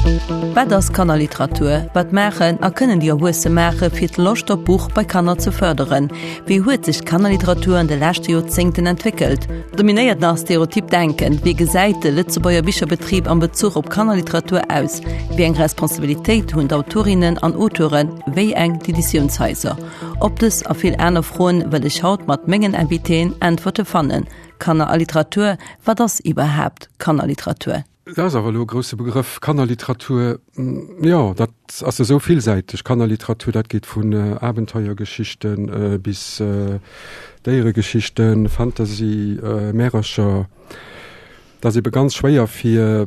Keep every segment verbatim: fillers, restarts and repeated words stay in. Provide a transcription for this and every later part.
Wat ass Kannerliteratur? Wat maachen a kënnen déi Erwuesse maache fir d'Loscht op Buch bei Kanner ze fërderen? Wéi huet sech d'Kannerliteratur an de leschte Joerzéngten entwéckelt? Dominéiert nach stereotyp Denken? Wéi gesäit de Lëtzebuerger Bicherbetrib am Bezuch op Kannerliteratur aus? Wéi eng Responsabilitéit hunn d'Autorinnen an Auteuren, wéi eng d'Editiounshaiser? Op dës a vill aner Froen wëll ech haut mat mengen Invitéen Äntwerte fannen. Kanner a Literatur, Wat ass iwwerhaapt Kannerliteratur? Dat ass awer elo e grousse Begrëff, Kannerliteratur. Jo, dat ass esou villsäiteg, Kannerliteratur. Dat geet vun Abenteuergeschichten bis Déieregeschichten, Fantasy, Märercher. Dat ass ebe ganz schwéier fir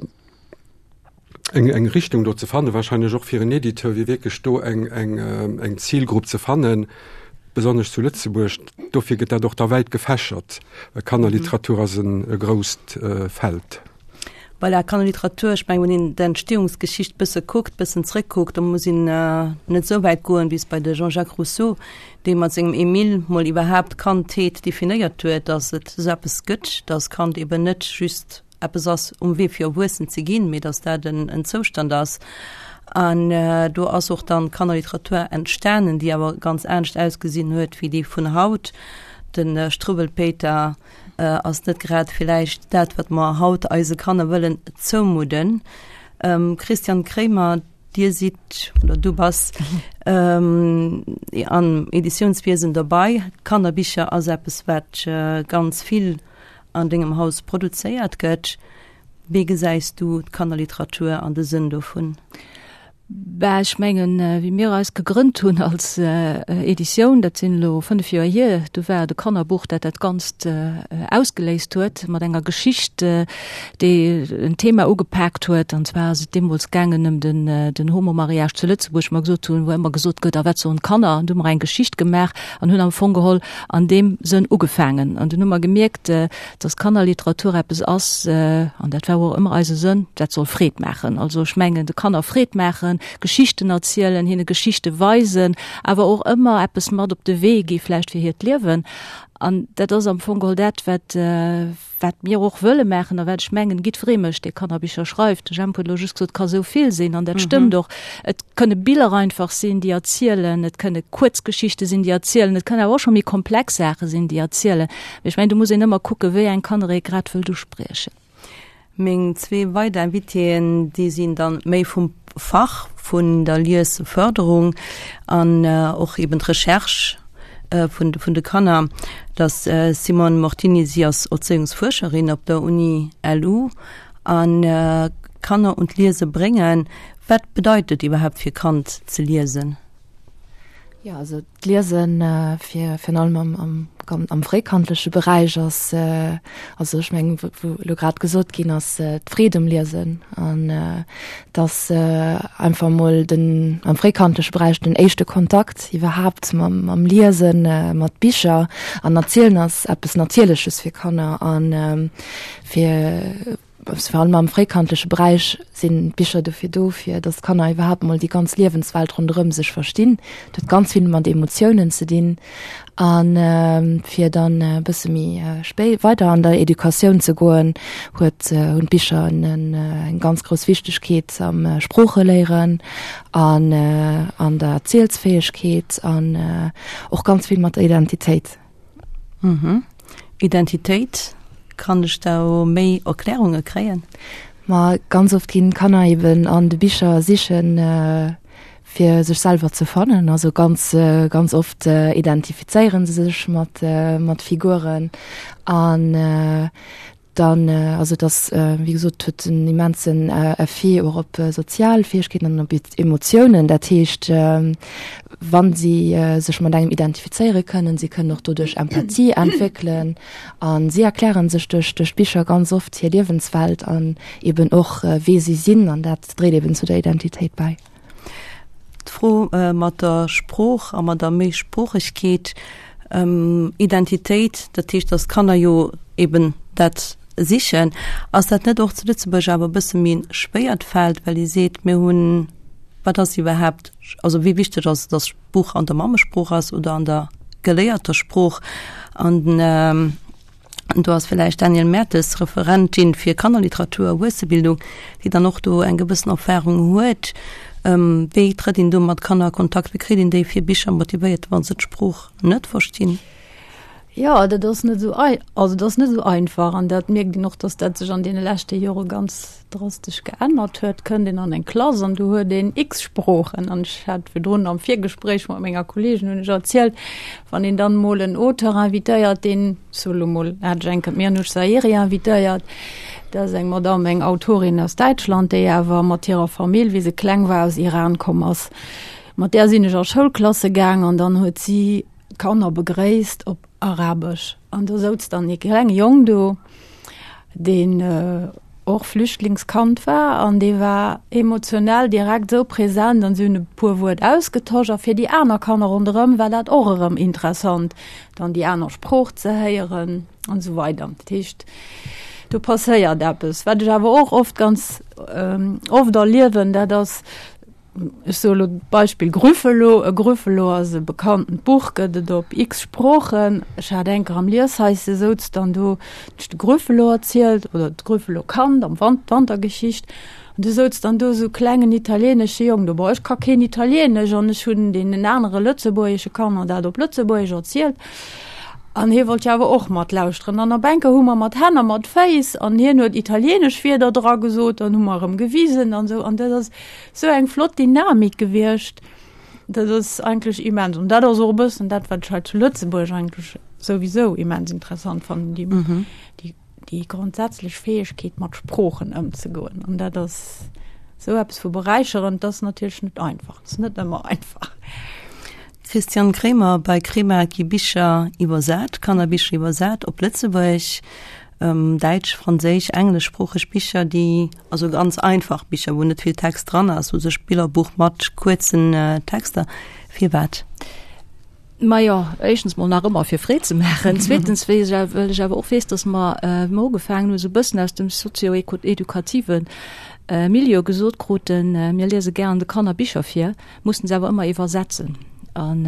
eng eng Richtung do ze fannen, wahrscheinlech och fir en Editeur, fir wierklech do eng eng eng Zilgrupp ze fannen, besonnesch zu Lëtzebuerg. Dofir gëtt dat och da wäit gefächert, well Kannerliteratur ass en e grousst Feld. Voilà, Kannerliteratur, ech mengen, wann een d'Entstehungsgeschicht bësse kuckt, bëssen zréckkuckt, da muss een net esou wäit goen bis bei de Jean-Jacques Rousseau, dee mat sengem Emile mol iwwerhaapt Kandheet definéiert huet, datt et esou eppes gëtt, datt Kand eben net just eppes ass um Wee fir erwuessen ze ginn, mee datt dat en en Zoustand ass. An do ass och dann d'Kannerliteratur entstanen, déi awer ganz anescht ausgesinn huet wéi déi vun haut. De Struwwelpéiter ass net grad villäicht dat, wat mer haut eise Kanner wëllen zoumudden. Christian Kremer, Dir sidd oder du bass am Editiounswiesen dobei. Kannerbicher ass eppes, wat ganz vill an dengem Haus produzéiert gëtt. Wéi gesäis du d'Kannerliteratur an de Sënn dovun? Bah, ech mengen, wéi mir eis gegrënnt hunn als Editioun, dat sinn elo fënnef Joer hier, du war et e Kannerbuch, dat dat Ganzt ausgeléist huet mat enger Geschicht, déi en Thema ugepaakt huet. An zwar ass et deemools gaangen ëm den, den Homomariage zu Lëtzebuerg, wou mer gesot hunn, wou ëmmer gesot gëtt, a wat soen d'Kanner? An du hu mer eng Geschicht gemaach an hunn am Fong geholl an deem Sënn ugefaangen. An dunn hu mer gemierkt, dass Kannerliteratur eppes ass, an dat war och ëmmer eise Sënn, dat soll Freed maachen. Also ech mengen, de Kanner Freed maachen, Geschichten erzielen, hinne Geschichte weisen, awer och ëmmer eppes mat op de Wee gi vläicht fir hiert Liewen. An dat ass am Fong geholl dat, wat, wat mir och wëlle maachen a wat ech mengen, jiddweree mécht, dee Kannerbicher schreift. De Jemp huet elo just gesot, et ka sou vill sinn, an dat stëmmt och. Et kënne Biller einfach sinn, déi erzielen, et kënne Kuerzgeschichte sinn, déi erzielen, et kënnen awer och scho méi komplex Saache sinn, déi erzielen. Mee ech mengen, do muss een ëmmer kucken, wéi eng Kanner ee grad wëllt uspriechen. Meng zwee weider Invitéen, déi sinn dann méi vum Fach vun der Liesförderung an och eben d'Recherche vun vun de Kanner. Dat ass d'Simone Mortini, si ass Erzéiungsfuerscherin op der Uni L U an Kanner un d'Liese bréngen. Wat bedeit et iwwerhaapt fir Kand ze liesen? Jo, also d'Liesen fir virun allem am, am, am fréikandleche Beräich ass, also ech mengen, wou elo grad gesot ginn ass, d'Freed um Liesen an dass einfach emol den am fréikandleche Beräich den éischte Kontakt iwwerhaapt mam, mam Liesen, mat Bicher an Erzielen ass eppes Natierleches fir Kanner an fir Vor allem am fréikandleche Beräich sinn d'Bicher dofir do, fir datt d'Kanner iwwerhaapt mol déi ganz Liewenswelt ronderëm sech verstinn. Dat huet ganz vill mat Emotiounen ze dinn. A fir dann e bësse méi spéi weider an der Educatioun ze goen, huet hunn d'Bicher eng ganz grouss Wichtegkeet am Sproocheléieren an an der Erzielsfäegkeet an och ganz vill mat der Identitéit. Identitéit, kann ech do méi Erklärunge kréien? Ma ganz oft ginn d'Kanner eben an de Bicher sichen, fir sech selwer ze fannen. Also ganz, ganz oft identifizéiere se sech mat, mat Figuren an Dann, also et ass, wéi gesot, huet en immensen Effet och op sozial Fäegkeeten an op Emotiounen. Dat heescht, wa si sech mat engem identifizéiere kënnen, si kënnen och doduerch Empathie entwéckelen a si erkläre sech duerch duerch d'Bicher ganz oft hir Liewenswelt an eben och wee si sinn an dat dréit eben zu der Identitéit bäi. D'Fro mat der Sprooch a mat der Méisproochegkeet, Identitéit, dat heescht, datt d'Kanner jo eben dat sichen. Ass dat net och zu Lëtzebuerg awer e bësse méi e schwéiert Feld, well ee seet, mir hunn, wat ass iwwerhaapt, also wéi wichteg ass et, datt d'Buch an der Mammesprooch ass oder an der geléierter Sprooch? An Do ass villäicht d'Danièle Mertes, Referentin fir Kannerliteratur a Erwuessebildung, déi dann och do eng gewëssen Erfahrung huet. Wéi trëtt een do mat Kanner a Kontakt? Wéi kritt een déi fir Bicher motivéiert, wa se d'Sprooch net verstinn? Jo, dat ass net esou ei, also dat ass net esou einfach an dat mierkt een och, datt dat sech an deene leschte Jore ganz drastesch geännert huet. Kënnt een an eng Klass an do huet een x Sproochen an ech hat virdrun am Virgespréich mat menger Kolleegin hunn ech erzielt, wann een dann emol en Auteur invitéiert, deen, ech soe lo mol, hat ech eng Kéier d'Mirnoush Zahiri invitéiert, dat ass eng Madamm, eng Autorin aus Däitschland, déi awer mat hirer Famill, wéi se kleng war, aus Iran komm ass. Mat där sinn ech a Schoulklasse gaang an dann huet si d'Kanner begréisst op Arabesch. An do souz dann ee klenge Jong do, deen och Flüchtlingskand war an dee war emotionell direkt esou present an si hunn e puer Wuert ausgetosch a fir déi aner Kanner ronderëm war dat och erëm interessant, dann déi aner Sprooch ze héieren an esou weider. Dat heescht, do passéiert eppes. Wat ech awer och oft ganz oft erliewen, dat ass, Ech soe lo d'Beispill Grüffelo. E Grüffelo ass e bekanntent Buch, gëtt et op x Sproochen. Ech hat eng Kéier am Lieshaisse souz dann do, hunn ech de Grüffelo erzielt oder d'Grüffelo-Kand am Wan-, d'Wantergeschicht. An du souz dann do esou klengen italienesche Jong do, Bon, ech ka keen Italienesch an ech hunn deenen anere lëtzebuergesche Kanner dat op Lëtzebuergesch erzielt. An hie wollt jo awer och matlauschteren. An op eng Kéier hu mer mat Hänn a mat Féiss an hien huet italienesch Wierder dra gesot, dann hu mer erëm gewisen an esou. An dat ass Sou eng flott Dynamik gewiescht, dat ass eigentlech immens. An dat ass och e bëssen dat, wat ech hei zu Lëtzebuerg eigentlech souwisou immens interessant fannen, déi, mhm. déi, déi grondsätzlech Fäegkeet, mat Sproochen ëmzegoen. An dat ass sou eppes vu beräicherend, dat ass natierlech net einfach, dat ass net ëmmer einfach. Christian Kremer, bei Krema gi Bicher iwwersat, Kannerbicher iwwersat op Lëtzebuergesch. Däitsch, franséisch, engleschsproocheg Bicher, déi, also ganz einfach Bicher, wou net vill Text dran ass, u sech Billerbuch mat kuerzen Texter. Firwat? Majo, éischtens mol nach ëmmer fir Freed ze maachen. Zweetens weess ech, well ech awer och weess, datt mer, wéi mer ugefaangen hunn, esou e bëssen aus dem sozio-edukative Milieu gesot kruten, mir liese gären de Kanner Bicher vir, mussen se awer ëmmer iwwersetzen. An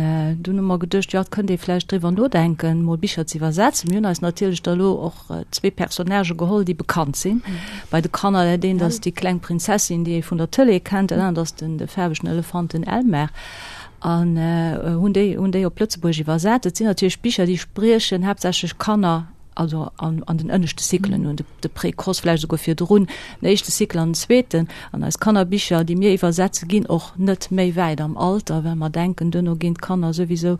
dunn hu mer geduecht, jo, et kënnt ee vläicht driwwer nodenken, mol Bicher ze iwwersetzen. Mir hunn eis natierlech da lo och zwee Personnagë geholl, déi bekannt sinn bei de Kanner. Dat eent ass déi kleng Prinzessin, déi ee vun der Tëlee kennt, dat anert ass den, de faarwegen Elefant, den Elmar. An hunn déi, hunn déi op Lëtzebuergesch iwwersat. Et sinn natierlech Bicher, déi spriechen haaptsächlech Kanner also an, an den ënneschte Cyclen un, de, de Précoce vläicht esouguer virdrun, den éischte Cycle an den zweeten. An eis Kannerbicher, déi mir iwwersetze ginn och net méi wäit am Alter, well mer denken, duerno ginn d'Kanner souwisou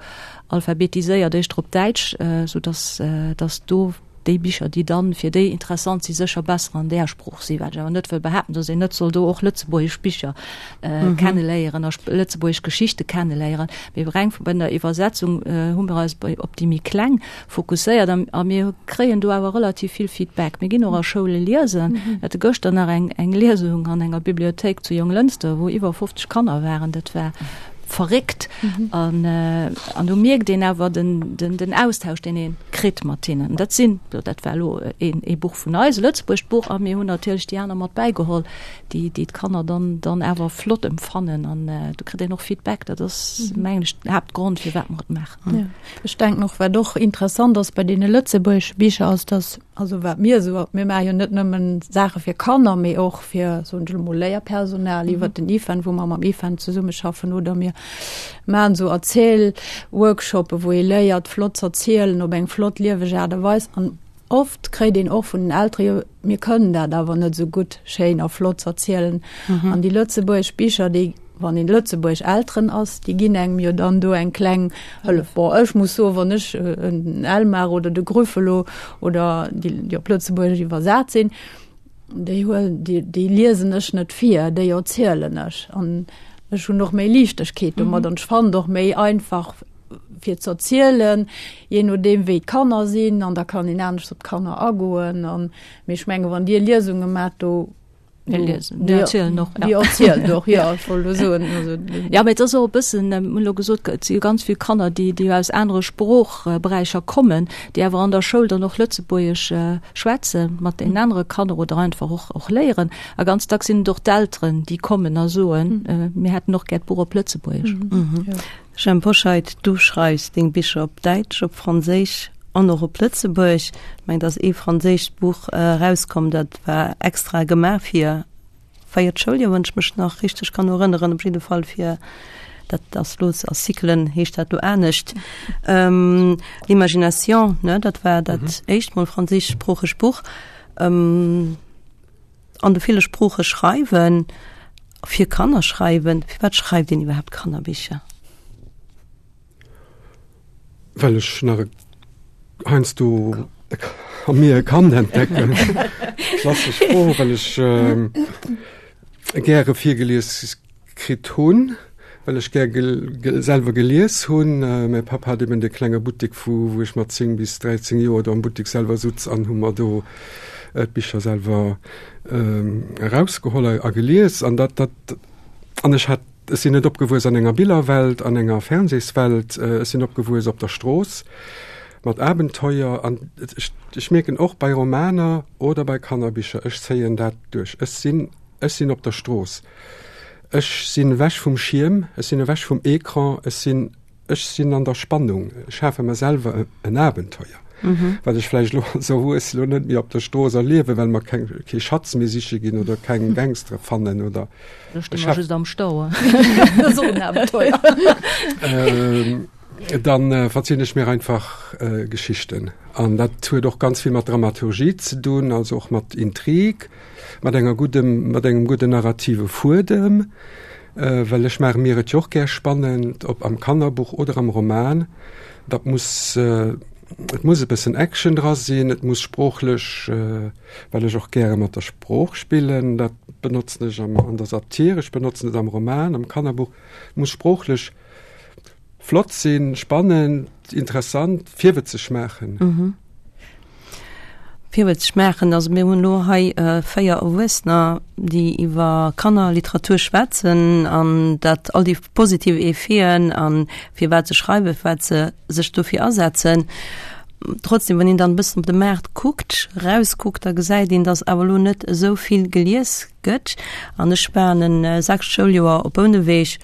alphabetiséiert éischter op Däitsch, soudass dass do déi Bicher, déi dann fir déi interessant si, sécher besser an där Sprooch sinn. Wat ech awer net wëll behaapten, dass een net soll do och lëtzebuergesch Bicher kenneléieren a lëtzebuergesch Geschichte kenneléieren. Mee reng bei der Iwwersetzung hu mir eis bei op déi méi Kleng fokusséiert a, a mir kréien do awer relativ vill Feedback. Mir ginn och a Schoule liesen. Mir hate gëschter nach eng, eng Liesung an enger Bibliothéik zu Jonglënster, wou iwwer fofzeg Kanner waren. Dat war verréckt. An, an do mierkt een awer den, den, den Austausch, deen ee kritt mat hinnen. Dat sinn, dat war elo een, ee Buch vun eis, e lëtzebuergescht Buch, a mir hunn natierlech déi aner mat bäigeholl, déi, déi d'Kanner dann, dann awer flott empfannen. An do kritt een och Feedback. Dat ass, mengen ech, den Haaptgrond, firwat mer et maachen. Ja. Ech denken och, wat och interessant ass bei deene lëtzebuergesche Bicher, ass, dass, also wat mir esou, mir maache jo net nëmmen Saache fir Kanner, mee och fir, soen ech elo mol, Léierpersonal iwwert den IFEN, wou mer mam IFEN zesummeschaffen, oder mir maachen esou Erziel-Workshoppe, wou ee léiert, flott z'erzielen op eng flott, lieweg Aart a Weis. An oft kréit een och vun den Eltere jo, mir kënnen dat awer net esou gutt, schéin a flott z'erzielen. An déi lëtzebuergesch Bicher, déi Wann een lëtzebuergesch Elteren ass, déi ginn engem jo dann do eng kleng Hëllef. Bon, ech muss soen, wann ech en Elmar oder de Grüffelo oder déi, déi op Lëtzebuergesch iwwersat sinn, déi huelen, déi, déi liesen ech net vir, déi erzielen ech. An ech hunn och méi Liichtegkeet domat an ech fannen et och méi einfach fir z'erzielen, jee nodeem wéi d'Kanner sinn an da kann een anescht op d'Kanner agoen. An, mee ech menge wann Dir Liesunge maacht, do Mir liesen. Mir erzielen och. Ja. Mir erzielen och, ja, ech wollt elo soen. Also, ja, mee et ass och e bëssen, mir hunn elo gesot, et si jo ganz vill Kanner, déi, déi aus anere Sproochberäicher kommen, déi awer an der Schoul dann och Lëtzebuergesch schwätze mat deenen anere Kanner oder einfach och, och léieren. A ganz dacks sinn et och d'Elteren, déi kommen a soen, mir hätten och gär d'Buch op Lëtzebuergesch. Jhemp Hoscheit, du schreifs deng Bicher op Däitsch, op Franséisch an och op Lëtzebuerg. Ech mengen, et ass ee franséischt Buch erauskomm, dat war extra gemaach fir véiert Schouljoer, wann ech mech nach richteg kann erënneren, op jidde Fall fir, dat ass lo a Cyclen heescht dat lo anescht, L'Imagination, ne, dat war dat éischt mol franséischsproocheg Buch. An de ville Sprooche schreiwen, fir Kanner schreiwen, firwat schreift een iwwerhaapt Kannerbicher? Well ech nach e heiansdo a mir e Kand entdecken. Klassesch Fro, well ech gäre virgelies kritt hunn, well ech gär selwer gelies hunn. Mäi Papp hat eben dee klenge Buttek, vu wou ech mat zéng bis dräizéng Joer do am Buttek selwer sutz an hu mer do d'Bicher selwer erausgeholl a gelies. An dat, dat, an ech hat, ech sinn net opgewuess an enger Billerwelt, an enger Fernsehswelt, ech sinn opgewuess op der Strooss mat Abenteuer. An ech, ech mierken och bei Romaner oder bei Kannerbicher, ech zéien dat duerch. Ech sinn, ech sinn op der Strooss. Ech sinn ewech vum Schierm, ech sinn ewech vum Ecran, ech sinn, ech sinn an der Spannung. Ech schafe mer selwer en Abenteuer, wat ech vläicht elo als Erwuesse lo net méi op der Strooss erliewen, well mer keng, kee Schatz méi siche ginn oder keng Gangstere fannen oder. Lo sti mer just am Stau. Dat ass och en Abenteuer. Dann verzielen ech mir einfach Geschichten. An dat huet och ganz vill mat Dramaturgie ze dunn, also och mat Intrig, mat enger guddem, mat engem gudden narrative Fuedem, well ech maache mir et jo och gär spannend, ob am Kannerbuch oder am Roman. Dat muss, et muss e bëssen Action dra sinn, et muss sproochlech, well ech och gäre mat der Sprooch spillen, dat benotzen ech am, an der Satir, ech benotzen et am Roman, am Kannerbuch, et muss sproochlech Flott sinn, spannend, interessant, virwëtzeg maachen. Mhm. Virwëtzeg maachen. Also mir hunn elo hei véier Erwuessener, déi iwwer Kannerliteratur schwätzen an dat all déi positiv Effeten a firwat se schreiwen, firwat se sech dofir asetzen. Trotzdem, wann een dann e bëssen op de Maart kuckt, erauskuckt, da gesäit een, datt awer elo net esou vill gelies gëtt. An ech war an e sechst Schouljoer op Bouneweg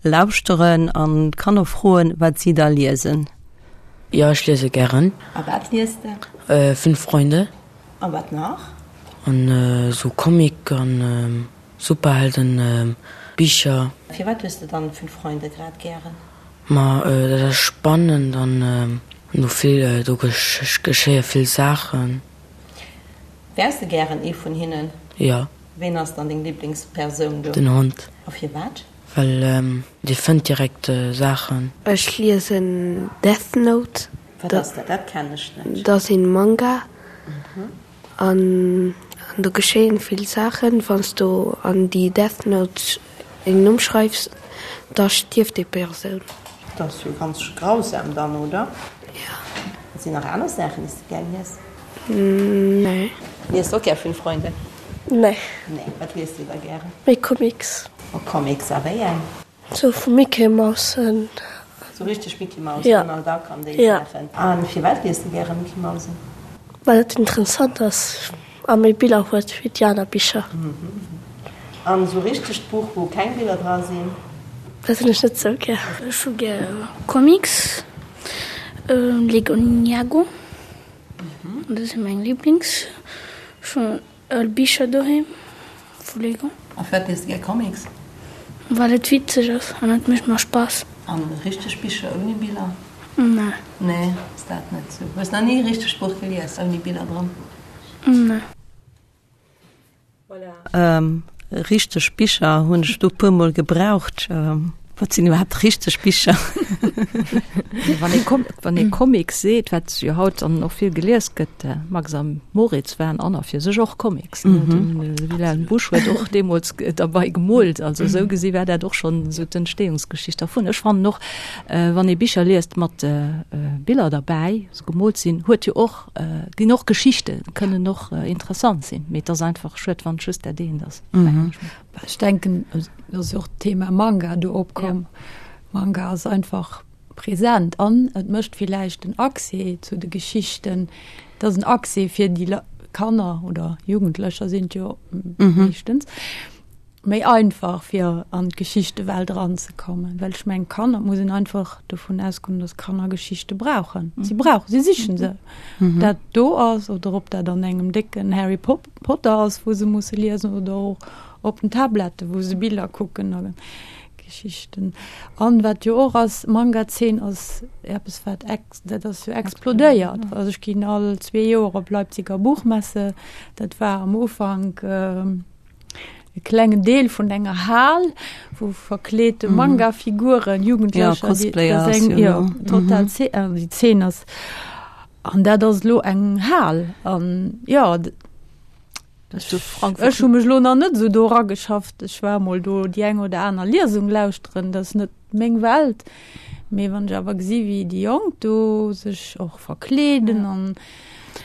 Lauschteren an d'Kanner froen, wat si da liesen. Jo, ech liese gären. A wat liest de? Fünf Freunde. A wat nach? An esou Comic an Superhelden Bicher. Firwat liest de dann Fünf Freunde grad gären? Ma dat ass spannend an do vill, do geschéie vill Saachen. Wäers de gären ee vun hinnen? Jo. Ween ass dann deng Liblingspersoun do? Den Hond. A firwat? Well dee fënnt direkt Saachen. Ech liesen Death Note. Wat ass dat? Dat kennen ech net. Dat ass een Manga an do geschéien vill Saachen. Wann s du an déi Death Note een Numm schreifs, da stierft déi Persoun. Dat ass jo ganz grausam dann, oder? Jo. Wat sinn nach aner Saachen, déi s de gär lies? Nee. Lies de och gär Fünf Freunde? Nee. Nee, wat liest du da gären? Méi Comics. Oh, Comics, a wéi eng? Sou vu Mickey Mousen. Sou richteg Mickey Mouse, Ja. Donald Duck an déi Ja. Saachen. A firwat liest de gäre Mickey Mousen? Well et interessant ass a méi Biller huet wéi déi aner Bicher. An sou richtegt Buch, wou keng Biller dra sinn? Dat hunn ech net sou gär. Ech hu gär Comics, Lego Ninjago, dat si meng Liblings. Ech hunn Al Bicher doheem vu Lego. A firwat liest de gär Comics? Well et witzeg ass an et mécht mer Spaass. An richteg Bicher ouni Biller? Nee. Nee, ass dat net sou? Hues nach ni e richtegt Buch gelies ouni Biller dran? Nee. Voilà. Richteg Bicher hunn ech do puer mol gebraucht. Wat sinn iwwerhaapt richteg Bicher? Wann ee Com wann ee Comics seet, wat jo haut dann och vill gelies gëtt, Max a Moritz waren an a fir sech och Comics. Mm -hmm. De Wilhelm Busch huet och deemools derbei gemoolt. Also esou gesi war dat och schonn esou d'Entstehungsgeschicht dervun. Ech fannen och, wann ee Bicher liest mat Biller derbäi, se gemoolt sinn, huet jo och, ginn och Geschichte kënnen och interessant sinn. Mee et ass einfach schued, wann et just dat eent ass. Mm -hmm. Ech denken, et ass jo och d'Thema Manga do opkomm. Manga ass einfach present an et mécht villäicht den Accès zu de Geschichten, et ass en Accès fir déi Kanner oder Jugendlecher sinn et jo meeschtens, méi einfach fir an d'Geschichtewelt eranzekommen, well ech mengen Kanner, muss een einfach dovun ausgoen, dass Kanner Geschichte brauchen. Si brauchen, si sichen se. Ob dat do ass oder ob dat an engem décken Harry Potter ass, wou se musse liesen oder och op den Tablette wou se Biller kucken a Geschichten. An wat jo och ass, Manga-Zeen ass eppes wat ex, dat ass jo explodéiert. Also ech ginn all zwee Joer op Leipziger Buchmesse, dat war am Ufank e klengen Deel vun enger Hal, wou verkleete Manga-Figuren, Jugendlecher, déi, dat ass eng, jo, total Zeen, also déi Zeen ass, an dat ass elo eng Hal an jo, ech hu mech elo nach net esou do erageschafft. Ech war emol do déi eng oder aner Liesung lauschteren, dat ass net meng Welt. Mee wann ech awer gesi wéi déi Jonk do sech och verkleeden an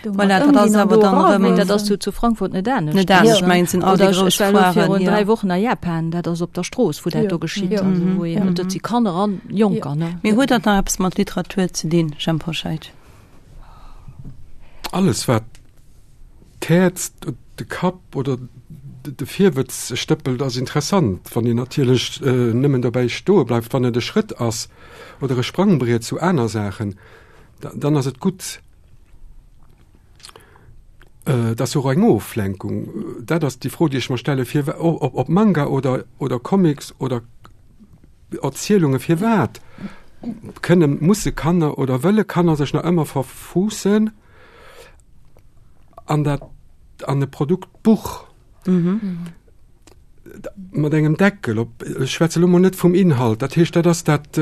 Voilà, dat ass awer dann erëm. Dat ass zu, zu Frankfurt net anescht. Net anescht, mengen sinn all déi grouss Ech war elo Foiren, virun ja. dräi Wochen a Japan, dat ass op der Strooss, wou dat do geschitt, Ja. also wou een, dat si Kanner an Jonker, ne? Mee huet dat nach eppes mat Literatur ze dinn, Jhemp Hoscheit? Alles wat d'Häerz, de Kapp oder de Virwëtz stëppelt, ass interessant. Wann een natierlech nëmmen dobäi stoe bleift, wann et e Schrëtt ass oder e Sprangbriet zu aner Saachen, dann ass et gutt. Et ass och eng Oflenkung. Dat ass déi Fro, déi ech mer stelle, fir ob Manga oder, oder Comics oder Erzielunge, firwat kënne, musse Kanner oder wëlle Kanner sech nach ëmmer verfuussen an dat, an e Produkt Buch mat engem Deckel op. Ech schwätze lo mol net vum Inhalt, dat heescht, dat ass dat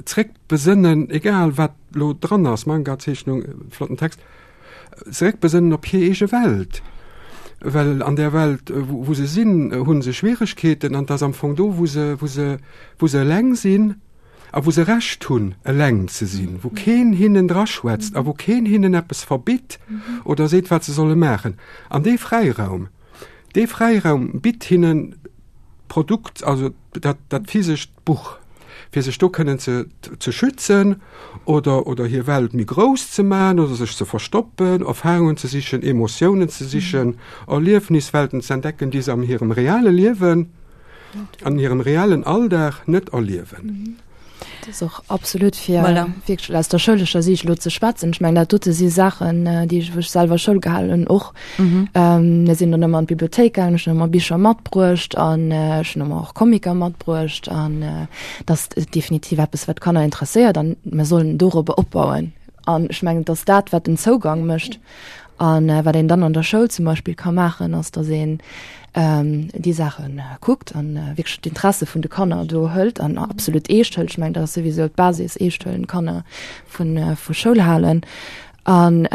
Zréckbesënnen, egal wat lo dran ass, Manga, Zeechnung, flotten Text, zeréckbesënnen op hir eege Welt, well an där Welt, wou se sinn, hu se Schwieregkeeten an et ass am Fong do, wou se, wou se, wou se eleng sinn a wou se Recht hunn, eleng ze sinn, wou keen hinnen draschwätzt a wou keen hinnen eppes verbitt oder seet, wat se solle maachen. An dee Fräiraum, dee Fräiraum bitt hinnen d'Produkt, also dat, dat physescht Buch, fir sech do kënnen ze, ze schützen oder, oder hir Welt méi grouss ze maachen oder sech ze verstoppen, Erfahrungen ze sichen, Emotiounen ze sichen, Erliefniswelten ze entdecken, déi se an hirem reale Liewen, an hirem realen Alldag net erliewen. Dat ass och absolut fir Voilà. wierklech aus der schoulescher Siicht elo ze schwätzen. Ech mengen, dat dote si Saachen, déi ech, wou ech selwer Schoul gehalen hunn, och. Mir sinn dann ëmmer an d'Bibliothéik gaangen, ech hunn ëmmer Bicher matbruecht an ech hunn ëmmer och Comicer matbruecht an dat ass definitiv eppes, wat d'Kanner interesséiert an mir sollen dorobber opbauen. An ech mengen, et ass dat, wat den Zougang mécht. An wat een dann an der Schoul zum Beispill ka maachen, ass, datt een déi Saache kuckt an wierklech d'Interesse vun de Kanner do hëlt an absolut eescht hëlt. Ech mengen, dat ass souwisou d'Basis, eescht huelen, d'Kanner vu vu Schoul halen. An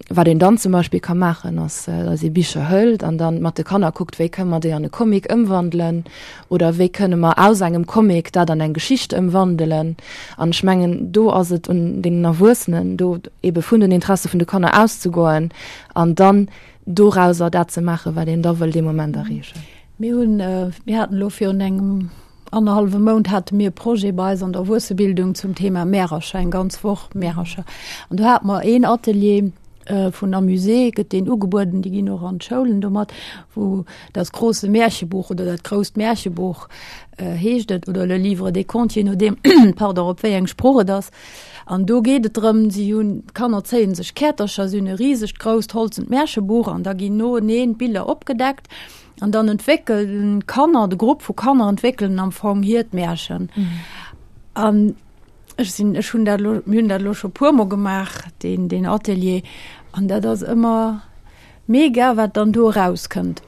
wat een dann zum Beispill ka maachen, ass, datt ee Bicher hëlt an dann mat de Kanner kuckt, wéi kënne mer déi an e Comic ëmwandelen oder wéi kënne mer aus engem Comic dat an eng Geschicht ëmwandelen. An ech mengen, do ass et un deenen Erwuessenen, do ebe vun den Interesse vun de Kanner auszegoen an dann dorauser dat ze maachen, wat een da wëll dee Moment erreechen. Mir hunn, mir haten elo virun engem annerhallwe Mount hate mir e Projet bei eis an der Erwuessebildung zum Thema Märercher, eng ganz Woch Märercher. An do hate mer een Atelier vun Amusé, gëtt deen ugebueden, déi ginn och an d'Schoulen domat, wou das große Märchebuch oder dat grousst Märchebuch heescht et, oder le livre des contes, je nodeem, pardon, op wéi eng Sprooch et ass. An do geet et drëm, si hunn, d'Kanner zéien sech Käertercher, si hunn e risegt grousst holzent Märchebuch an da ginn noeneen d'Biller opgedeckt an dann entwéckelen d'Kanner, de Grupp vu Kanner entwéckelen am Fong hiert Märchen. An ech sinn, ech hunn dat elo, mir hunn dat elo scho puermol gemaach, deen, deen Atelier, an dat ass ëmmer mega, wat dann do erauskënnt.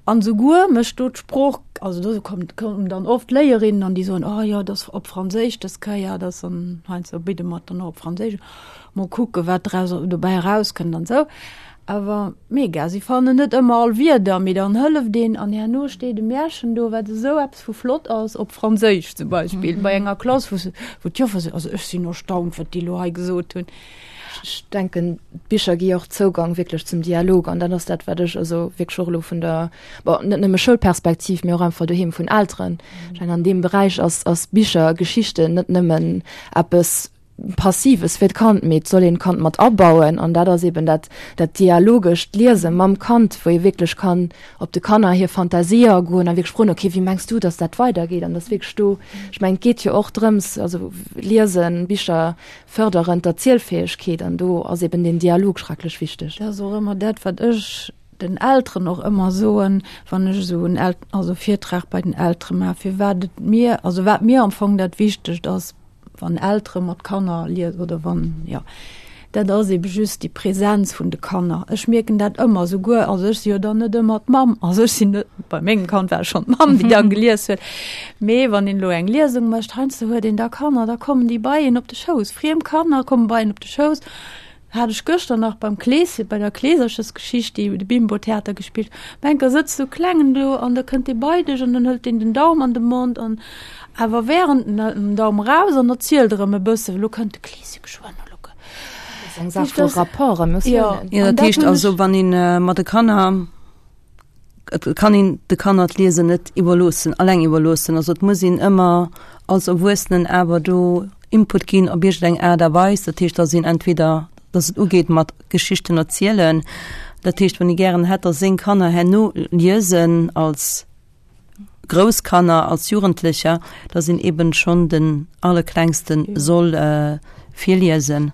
An souguer mécht do d'Sprooch, also do kommt, kommen dann oft Léierinnen an déi soen, oh jo, dat ass op Franséisch dës Kéier, dat ass an heiansdo bidde mer et dann och op Franséisch, mol kucke wat draus dobäi erauskënnt an esou. Awer mega, si fannen net ëmmer all Wierder, mee dann hëlleft een an herno steet e Märchen do, wat esou eppes vu flott ass, op Franséisch zum Beispill, bei enger Klass, wou se, wou d'Joffer seet, also ech sinn erstaunt, wat déi elo hei gesot hunn. Ech denken, d'Bicher gi och Zougang wierklech zum Dialog an dat ass dat, wat ech also wierklech och elo vun der, bon, net nëmme Schoulperspektiv, mee och einfach doheem vun Elteren. Ech mengen, an deem Beräich ass, ass Bicher, Geschichten net nëmmen eppes, Passives fir d'Kand, mee et soll een d'Kand mat abauen an dat ass eben dat dat dialogescht Liese mam Kand, wou ee wierklech kann op de Kanner hir Fantasie agoen a wierklech froen, okay, wéi mengs du, datt dat weidergeet an datt wierklech do, ech mengen, et geet jo och drëms, also Liesen, Bicher fërderen d'Erzielfäegkeet an do ass eben deen Dialog schrecklech wichteg. Dat ass och ëmmer dat, wat ech den Elteren och ëmmer soen, wann ech esou en El also Virtrag bei den Eltere maachen, firwat et mir, also wat mir am Fong dat Wichtegt ass, wann Eltere mat Kanner liesen oder wann, jo, dat ass ebe just déi Präsenz vun de Kanner. Ech mierken dat ëmmer, souguer, also ech si jo dann net ëmmer d'Mamm, also ech sinn net, bei mengem Kand war et schonn d'Mamm, déi da gelies huet, mee wann een elo eng Liesung mécht, heiansdo huet een da Kanner, da kommen déi bei een op de Schouss, friem Kanner komme bei een op de Schouss. Hat ech gëschter nach beim Kleeschen, bei der Kleeserchesgeschicht, déi de Bimbo Theater gespillt. Op eng Kéier sëtzt sou Klengen do an da kënnt dee bei dech an dann hëlt deen den Daum an de Mond an awer während en hëlt den Daum eraus an erzielt erëm e bësse, elo kënnt de Kleesche geschwënn, elo kë. Dat ass eng Saach vu Rapport, Emotiounen. Jo, dat heescht also, wann een mat de Kanner. Et kann een de Kanner d'Liesen net iwwerloossen, alleng iwwerloossen. Also et muss een ëmmer als Erwuessenen awer do Input ginn op iergendeng Aart a Weis. Dat heescht, dass een entweder, dass et ugeet mat Geschichten erzielen. Dat heescht, wann ee gären hätt, dass seng Kanner herno liesen als grouss Kanner, als Jugendlecher, dass een eben schonn den Allerklengste soll virliesen.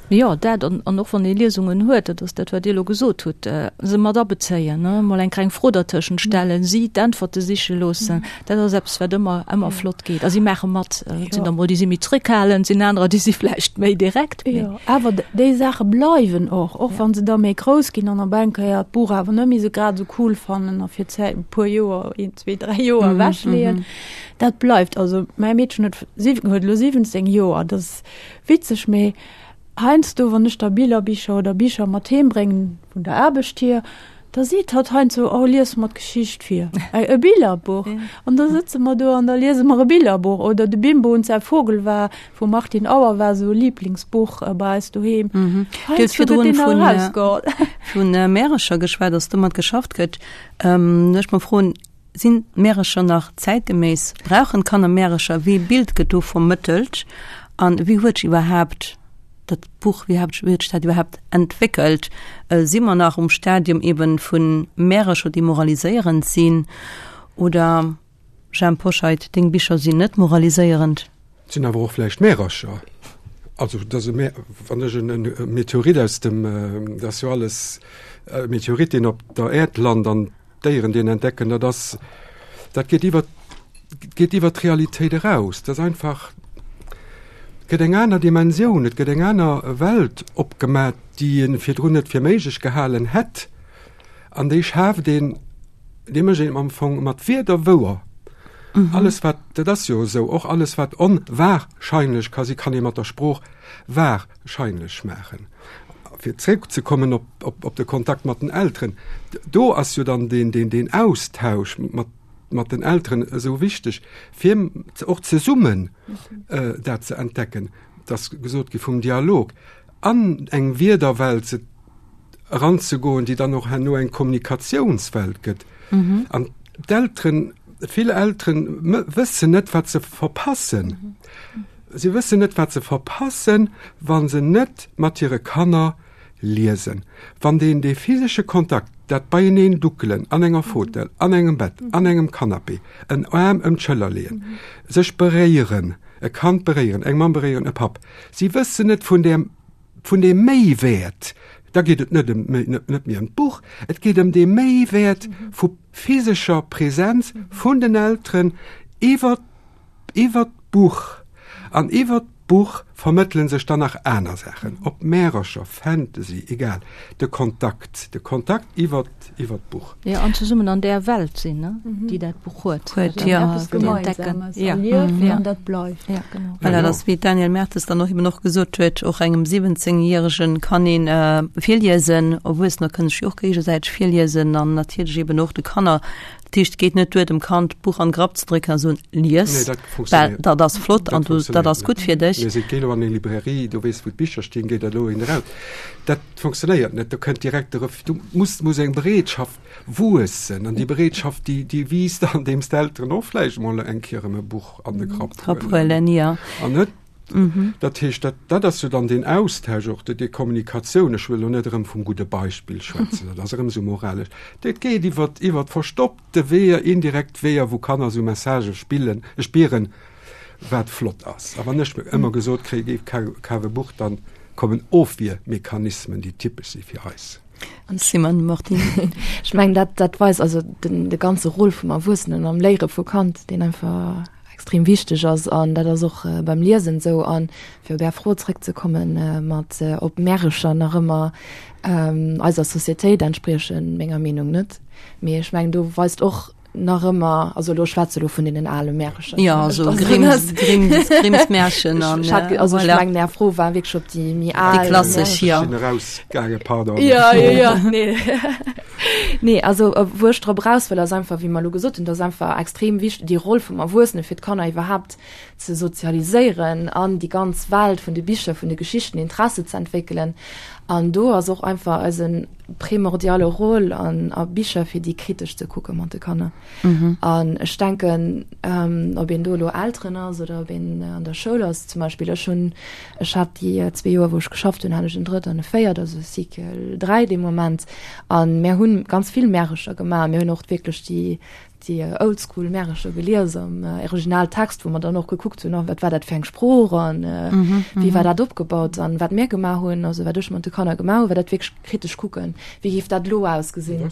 Jo, dat an, an och wann ee Liesungen huet, dat ass dat, wat Dir elo gesot hutt, se mat abezéien, ne, mol eng kleng Fro dertëschent stellen, si d'Äntwerte siche loossen, dat ass eppes, wat ëmmer, ëmmer flott geet. A si maache mat. Et sinn der mol, déi si méi zréckhalend, sinn anerer, déi si vläicht méi direkt, mee. Jo, awer déi Saache bleiwen och, och wa se da méi grouss ginn an op eng Kéier d'Buch awer net méi esou grad esou cool fannen a fir d'Zäit e puer Joer, een, zwee, dräi Joer ewechleeën. Dat bleift. Also mäi Meedchen huet huet elo siwwenzéng Joer, dat ass witzeg, mee heiansdo, wann ech da Billerbicher oder Bicher mat heem bréngen vun der Aarbecht hier, da seet hatt heiansdo, Oh, lies mer d'Geschicht vir, e Billerbuch. An da sëtze mer do an da liese mer e Billerbuch. Oder De Bimbo und sein Vogel war vum Martin Auer war esou e Liblingsbuch bei eis doheem. Dir hutt virdrun vun vun Märercher geschwat, dass domat geschafft gëtt. Ech mer froen, Sinn d'Märercher nach zäitgeméiss? Brauchen d'Kanner Märercher? Wéi ee Bild gëtt do vermëttelt? An wéi huet sech iwwerhaapt dat Buch, wéi huet sech dat iwwerhaapt entwéckelt? Si mer nach um Stadium eben vu Märercher, déi moraliséierend sinn? Oder, Jhemp Hoscheit, deng Bicher sinn net moraliséierend? Et sinn awer och vläicht Märercher. Also, dass e Mä, wann ech en Meteorit aus dem, dat ass jo alles, e Meteorit, deen op der Äerd lant an D'Déieren, déi en entdecken, dat ass, dat geet iwwer, geet iwwer d'Realitéit eraus. Dat ass einfach, et gëtt eng aner Dimensioun, et gëtt eng aner Welt opgemat, déi ee virdrun net fir méiglech gehalen hätt. An déi schaaft een, déi mécht een am Fong mat Wierder wouer. Alles wat, dat ass jo esou, och alles wat onwahrscheinlech ka si, kann ee mat der Sprooch wahrscheinlech maachen. Fir zréckzekommen op, op, op de Kontakt mat den Elteren, do ass jo dann deen, deen, deen Austausch mat, mat den Elteren esou wichteg, fir och zesummen äh, dat ze entdecken. Et ass gesot gi vum Dialog an eng Wierderwelt ze eranzegoen, déi dann och herno eng Kommunikatiounswelt gëtt. Mhm. An d'Elteren, vill Elteren wëssen net, wat se verpassen. Mhm. Si wëssen net, wat se verpassen, wa se net mat hire Kanner liesen. Wann deen dee physesche Kontakt, dat beieneen duckelen an enger Fautel, an engem Bett, an engem Canapé, en Aarm ëm d'Schëller leeën, sech beréieren, e Kand beréieren, eng Mamm beréieren, e Papp, si wëssen net vun där, vun deem Méiwäert, da geet et net ëm, net méi ëm d'Buch, et geet ëm dee Méiwäert vu physescher Präsenz vun den Elteren iwwer Iwwer d'Buch an iwwer d'Buch vermëttele sech dann nach aner Saachen, ob Märercher, Fantasy, egal, de Kontakt, de Kontakt iwwer iwwer d'Buch. Jo, an zesummen an där Welt sinn, ne, déi dat Buch huet. Huet, jo. Eppes Gemeinsames erliewen an dat bleift. Ja, genau. Voilà, dat ass, wéi d'Danièle Mertes dann och eben och gesot huet, och engem siwwenzéngjäregen kann een virliesen, Erwuessener kënnen sech jo och géigesäiteg virliesen an natierlech eben och de Kanner. Dat heescht, et geet net duer, dem Kand d'Buch an de Grapp ze drécken a soen, Lies, Nee, dat well funktionéiert. dat ass flott an Dat du, dat funktionéiert ass net. gutt fir dech. Mir si géi elo an eng Librairie, do weess wou d'Bicher stinn, géi der elo een eraus. Dat funktionéiert net, do kënnt direkt de Refus. Du muss, muss eng Bereetschaft wuessen an déi Bereetschaft, déi, déi wiisst, andeems d'Elteren och vläicht emol eng Kéier erëm e Buch an de Grapp Grapp huelen huelen, jo. an net Dat heescht, dat, dat ass jo dann deen Austausch och, déi Kommunikatioun, ech wëll elo net erëm vum gudde Beispill schwätzen, dat ass erëm esou moralesch, dat geet iwwer, iwwer verstoppte Weeër, indirekt Weeër, wou Kanner esou Messagë spillen, spieren, wat flott ass. A wann ech ëmmer gesot kréie géif, kaf e Buch, dann kommen Ofwiermechanismen, déi typesch si fir eis. Simone Martini. Ech mengen, dat, dat weist also den, de ganze Rôle vum Erwuessenen am Léiere vu Kand, deen einfach extrem wichteg ass. An dat ass och äh, beim Liesen esou. An fir op Är Fro zréckzekommen, äh, mat äh, ob Märercher nach ëmmer ähm, eiser Societéit entspriechen, menger Meenung net. Mee ech mengen, do weist och nach ëmmer, also elo schwätze elo vun deenen ale Märercher. Ja, also Grimms, Grimms, Grimms Märchen an, Ech hat, also ech voilà. mengen, Är Fro war wierklech op déi méi al Déi klassesch, ja. Ech sinn erausgaangen, pardon. Ja, ja, ja, nee. Nee, also wou ech drop eraus wëll, ass einfach, wéi mer elo gesot hunn, dass einfach extrem wichteg déi Roll vum Erwuessene fir d'Kanner iwwerhaapt ze sozialiséieren an déi ganz Welt vun de Bicher, vun de Geschichten Interesse ze entwéckelen. An do ass och einfach eise primordiale Rôle an a Bicher fir déi kritesch ze kucke mat de Kanner. An ech denken, ob een do elo Elteren ass oder ob een an der Schoul ass, zum Beispill ech hunn, ech hat déi zwee Joer wou ech geschafft hunn, hat ech en Drëtt an e Véiert, also Cycle dräi dee Moment. A mär hunn ganz vill Märercher gemaach. Mir hunn och wierklech déi déi Oldschool Märercher gelies am Originaltext, wou mer dann och gekuckt hunn, wat war dat fir eng Sprooch an wéi war dat opgebaut. An wat mir gemaach hunn, also wat ech mat de Kanner gemaach hunn, war dat wierklech kritesch kucken, wéi géif dat elo ausgesinn.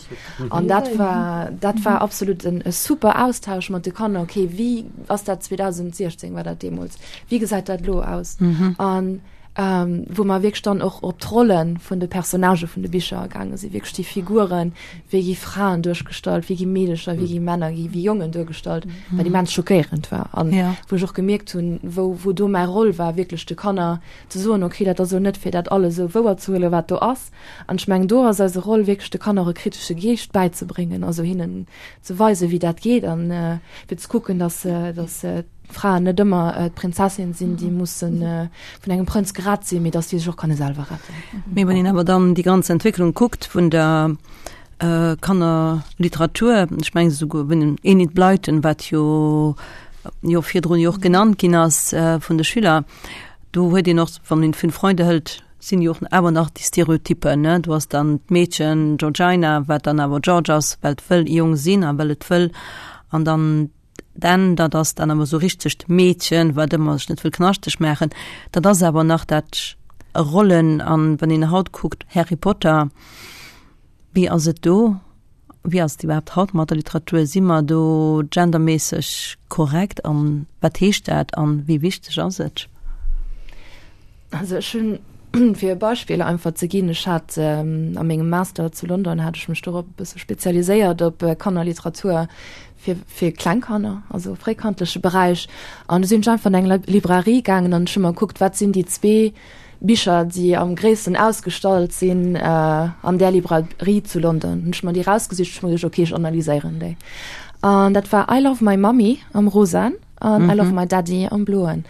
An dat war, dat war absolut en e super Austausch mat de Kanner, okay, wéi ass dat zweedausendsechzéng war dat deemools, wéi gesäit dat elo aus? An wou mer wierklech dann och op d'Rolle vun de Personnagë vun de Bicher agaange sinn, wierklech déi Figuren, wéi gi Fraen duerchgestallt, wéi gi Meedecher, wéi gi Männer, wéi gi Jongen duergestallt, wat immens schockéierend war an wou ech och gemierkt hunn, wou, wou do mäi Roll war, wierklech de Kanner ze soen, okay, dat ass elo net fir dat alles esou wouer ze huelen, wat do ass. An ech mengen, do ass eise Roll wierklech de Kanner och e kritesche Geescht bäizebréngen, also hinnen ze weisen, wéi dat geet an fir ze kucken, dass, dass Fraen net ëmmer d'Prinzessin sinn, déi musse vun engem Prënz gerett sinn, mee datt déi sech och kanne selwer retten. Mee wann een awer dann déi ganz Entwécklung kuckt vun der Kannerliteratur, ech mengen esouguer vun den Enid Blyton, wat jo jo virdrun jo och genannt ginn ass vun de Schüler, do huet een och, wann een Fünf Freunde hëlt, sinn jo och awer nach déi Stereotypen, ne, do ass dann d'Meedchen Georgina, wat dann awer George ass, well et wëll e Jong sinn a well et wëll an dann D'Enn, dat ass dann awer esou richtegt Meedchen, wat ëmmer sech net wëll knaschteg maachen. Dat ass awer nach dat Rollen. An wann een haut kuckt, Harry Potter, wéi ass et do? Wéi ass et iwwerhaapt haut mat der Literatur? Si mer do genderméisseg korrekt? An wat heescht dat? An wéi wichteg ass et? Also ech hunn, fir e Beispill einfach ze ginn, ech hat a mengem Master zu London hat ech mech dorop e bësse spezialiséiert op Kannerliteratur fir, fir kleng Kanner, also fréikandleche Beräich. An du sinn ech einfach an eng Librairie gaangen an ech hu mer gekuckt, wat sinn déi zwee Bicher, déi am gréissten ausgestallt sinn an där Librairie zu London. Hunn ech mer déi rausgesicht, ech hu mer geduecht, okay, ech analyséieren déi. An dat war I Love My Mummy am Rosaen an I Love My Daddy am Bloen.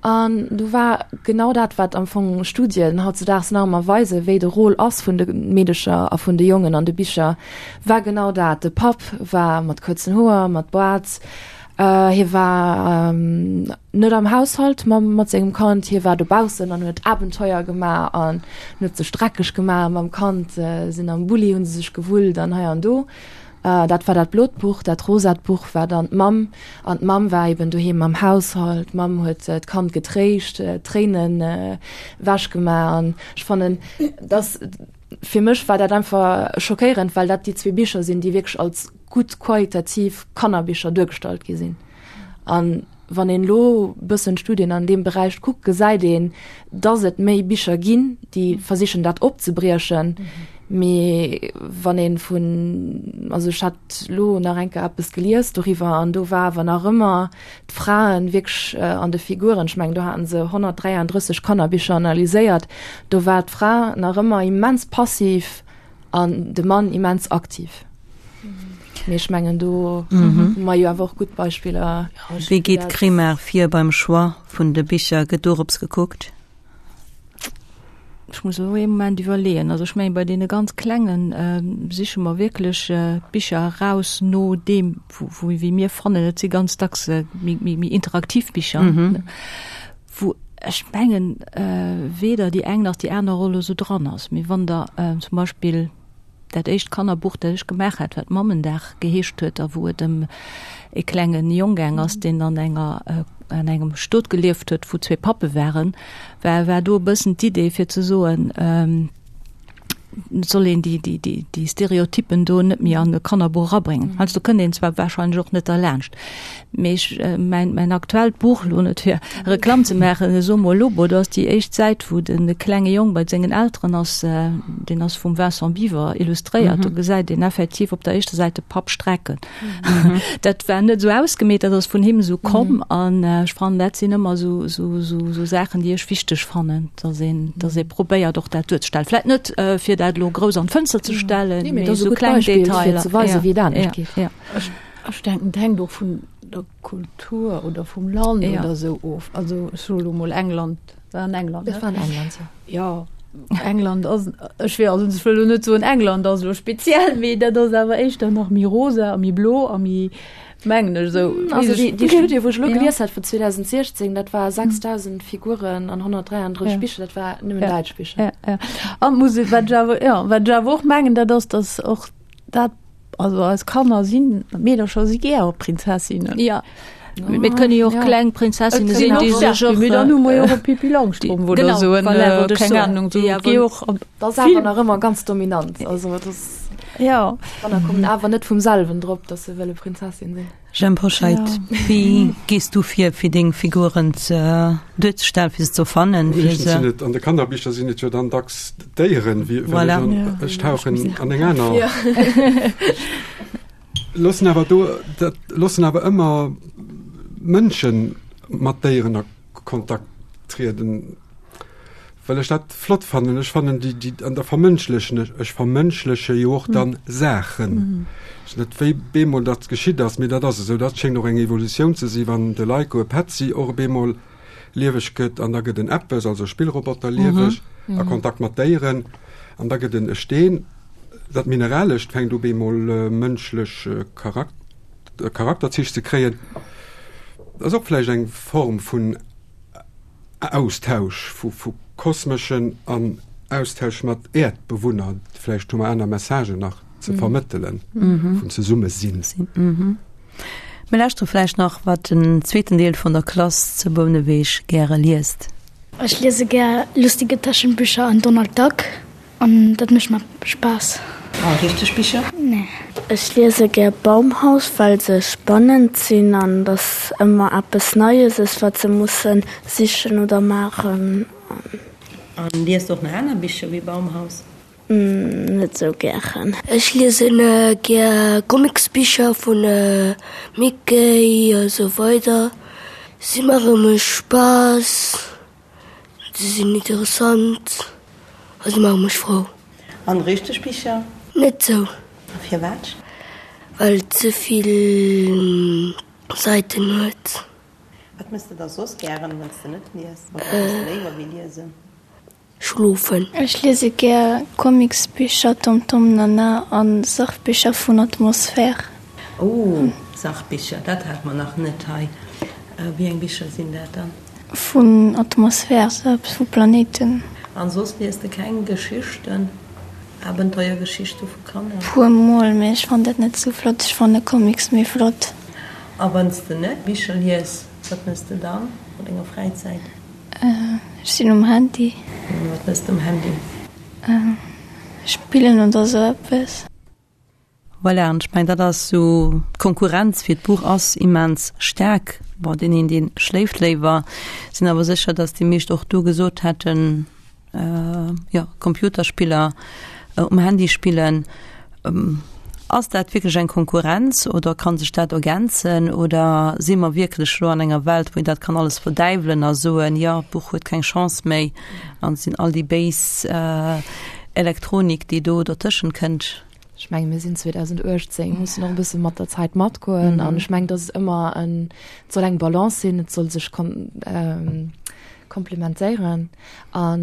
An do war genau dat, wat am Fong Studien hautzedaags nach ëmmer weisen, wéi de Rôle ass vun de Meedecher a vun de Jongen an de Bicher, war genau dat. De Papp war mat kuerzen Hoer, mat Boart, hie war net am Haushalt mam mat sengem Kand, hie war dobaussen an huet Abenteuer gemaach an huet sech dreckeg gemaach mam Kand, sinn am Bulli, hu se sech gewullt an hei an do. Dat war dat blot Buch. Dat rosat Buch war dann d'Mamm. An d'Mamm war eben doheem am Haushalt. D'Mamm huet d'Kand getréischt, d'Tréinen ewech gemaach. An ech fannen, dass, fir mech war dat einfach schockéierend, well dat déi zwee Bicher sinn, déi wierklech als gutt qualitativ Kannerbicher duergestallt gi sinn. An wann een elo bëssen d'Studien an deem Beräich kuckt, gesäit een, dass et méi Bicher ginn, déi versichen dat opzebriechen. Mee wann ee vun, also ech hat elo nach eng Kéier eppes gelies doriwwer an do war awer nach ëmmer d'Fraen wierklech an de Figuren, ech mengen do haten se honnertdräiandrësseg Kannerbicher analyséiert, do war d'Fra nach ëmmer immens passiv an de Mann immens aktiv. Mee ech mengen do hu mer jo awer och gutt Beispiller. Wéi geet d'Crimar vir beim Choix vun de Bicher? Gëtt dorops gekuckt? Ech muss elo ee Moment iwwerleeën. Also ech mengen, bei deene ganz Klengen siche mer wierklech d'Bicher eraus no deem, wou, wéi mir fannen, et si ganz dacks méi, méi, méi interaktiv Bicher, wou Ech mengen weder déi eng nach déi aner Roll esou dran ass. Mee wann Der zum Beispill dat éischt Kannerbuch, dat ech gemaach hat, wat Mammendag geheescht huet a wou et ëm e klenge Jong gaang ass, deen an enger an engem Stot gelieft huet, wou zwee Pappe waren, war war do e bëssen d'Idee fir ze soen, Et soll een déi, déi, déi, déi Stereotypen do net méi an e Kannerbuch erabréngen. Heiansdo kënnt een zwar wahrscheinlech och net derlaanscht, mee ech, mäin, mäin aktuellt Buch, elo net fir Reklamm ze maachen, Somo Lobo, do ass déi éischt Säit, wou de klenge Jong bei sengen Elteren ass, deen ass vum Vincent Biwer illustréiert, do gesäit een effektiv op der éischter Säit de Papp strecken. Dat war net esou ausgemeet, dat ass vun him esou komm an ech fannen, dat sinn ëmmer esou, esou, esou Saachen, déi ech wichteg fannen, dass een, dass ee probéiert och dat duerzestellen. Vläicht net fir dat elo grouss an d'Fënster ze stellen, Nee, mee mee dat ass e esou gutt kleng Beispill, fir Detailer. ze weisen, Ja, wéi et anescht ja, geet. ja. Ech, ech denken, et hänkt och vun der Kultur oder vum Land Ja. oder esou of. Also ech soe lo mol England, war an England, Dat ne? war an England, jo. Jo, England ass, ech wéi, also ech wëll elo net soen, England ass elo speziell, mee dat ass awer éischter nach méi rosa a méi blo a méi, mengen ech esou. Also déi, déi Studie, wou ech elo Ja. gelies hat vun zweedausendsechzéng, dat war sechsdausend Figuren an honnertdräianddrësseg Ja. Bicher, dat war nëmmen Ja. däitsch Bicher. Ja, ja. An muss ich, wat ich awer, ja, wat ich awer och mengen, dat ass, dass och dat, also eis Kanner sinn, Meedercher si gär Prinzessinnen. Ja. Mee et kënne jo och Ja. kleng Prinzessinne Et sinn, sinn déi och sech staark, och, mee dann hu mer jo och e Pippi Langstrumpf oder Genau, esou en, voilà, wollt ech keng soen. Ahnung, sou Ja, gi wou- och op Dat ass vill- awer nach ëmmer ganz dominant. Also dat ass, Ja. Kanner kommen awer net vum selwen drop, dass se wëlle Prinzessin sinn. Jhemp Hoscheit, Ja. wéi gees du vir, fir deng Figuren ze duerzestellen, fir se ze fannen, fir Meeschtens se sinn et, an de Kannerbicher sinn et jo dann dacks Déieren, wéi well Voilà. ech an, Ja. ech tauchen an eng aner. Ja. Loossen awer do, dat loossen awer ëmmer Mënschen mat Déieren a Kontakt trieden, well ech dat flott fannen. Ech fannen déi, déi, an da vermënschlechen ech, ech vermënschleche jo och dann Saachen. Ech net wéi bemol dat geschitt ass, mee dat ass esou. Dat schéngt och eng Evolutioun ze si, wann de Leiko e Petzi och bemol lieweg gëtt an da gëtt en eppes, also e Spillroboter lieweg, a Kontakt mat Déieren an da gëtt en e Steen. Dat Mineralescht fänkt u bemol mënschlech Charak-, Charakterzich ze kréien. Dat ass och vläicht eng Form vun Austausch, vu, vu kosmeschen an Austausch mat Äerdbewunner. Vläicht hu mer aner Messagen nach ze vermëttelen, vun Zesummesinn. Mir lauschtere vläicht nach, wat den zweeten Deel vun der Klass zu Bouneweg gäre liest. Ech liese gär lustige Taschenbücher an Donald Duck an dat mécht mer Spaass. A richteg Bicher? Nee. Ech liese gär Baumhaus, well se spannend sinn an dass ëmmer eppes Neies ass, wat se musse sichen oder maachen. An liest de och nach aner Bicher wéi Baumhaus? Net sou gären. Ech liesen gär Comicsbicher vun Mickey a sou weider. Si maache mech Spaass, si sinn interessant a si maache mech frou. An richteg Bicher? Net sou. A firwat? Well et ze vill Säiten huet. Wat mëss de da soss gären, wann s de net lies? Wat mëss de léiwer wéi liesen? Schlofen. Ech liese gär Comicsbicher, Tom Tom Nana an Sachbicher vun Atmosphär. Oh, Sachbicher, dat hate mer nach net hei. Wéi eng Bicher sinn dat dann? Vun Atmosphär, sou eppes vu Planéiten. An soss lies de keng Geschichten, Abenteuergeschichte vu Kanner? Puer mol, mee ech fannen dat net sou flott. Ech fanne Comics méi flott. A wann s de net Bicher lies, wat mëss de dann an denger Fräizäit? Ech sinn um Handy. Wat mëss de um Handy? Spillen oder sou eppes. Voilà, an ech mengen, dat ass sou, d'Konkurrenz fir d'Buch ass immens staark. Bon, deen een, dee schléift léiwer. Sinn awer sécher, datt déi meescht och do gesot hätten, jo, Computerspiller um Handy spillen. Ass dat wierklech eng Konkurrenz oder kann sech dat ergänzen oder si mer wierklech elo an enger Welt, wou een dat kann alles verdäiwelen a soen, jo, d'Buch huet keng Chance méi an et sinn all déi béis Elektronik, déi do dertëschent kënnt? Ech mengen, mir sinn zweedausenduechtzéng, mussen och e bësse mat der Zäit matgoen an ech mengen, dass et ëmmer en, et soll eng Balance sinn, et soll sech komplementéieren. An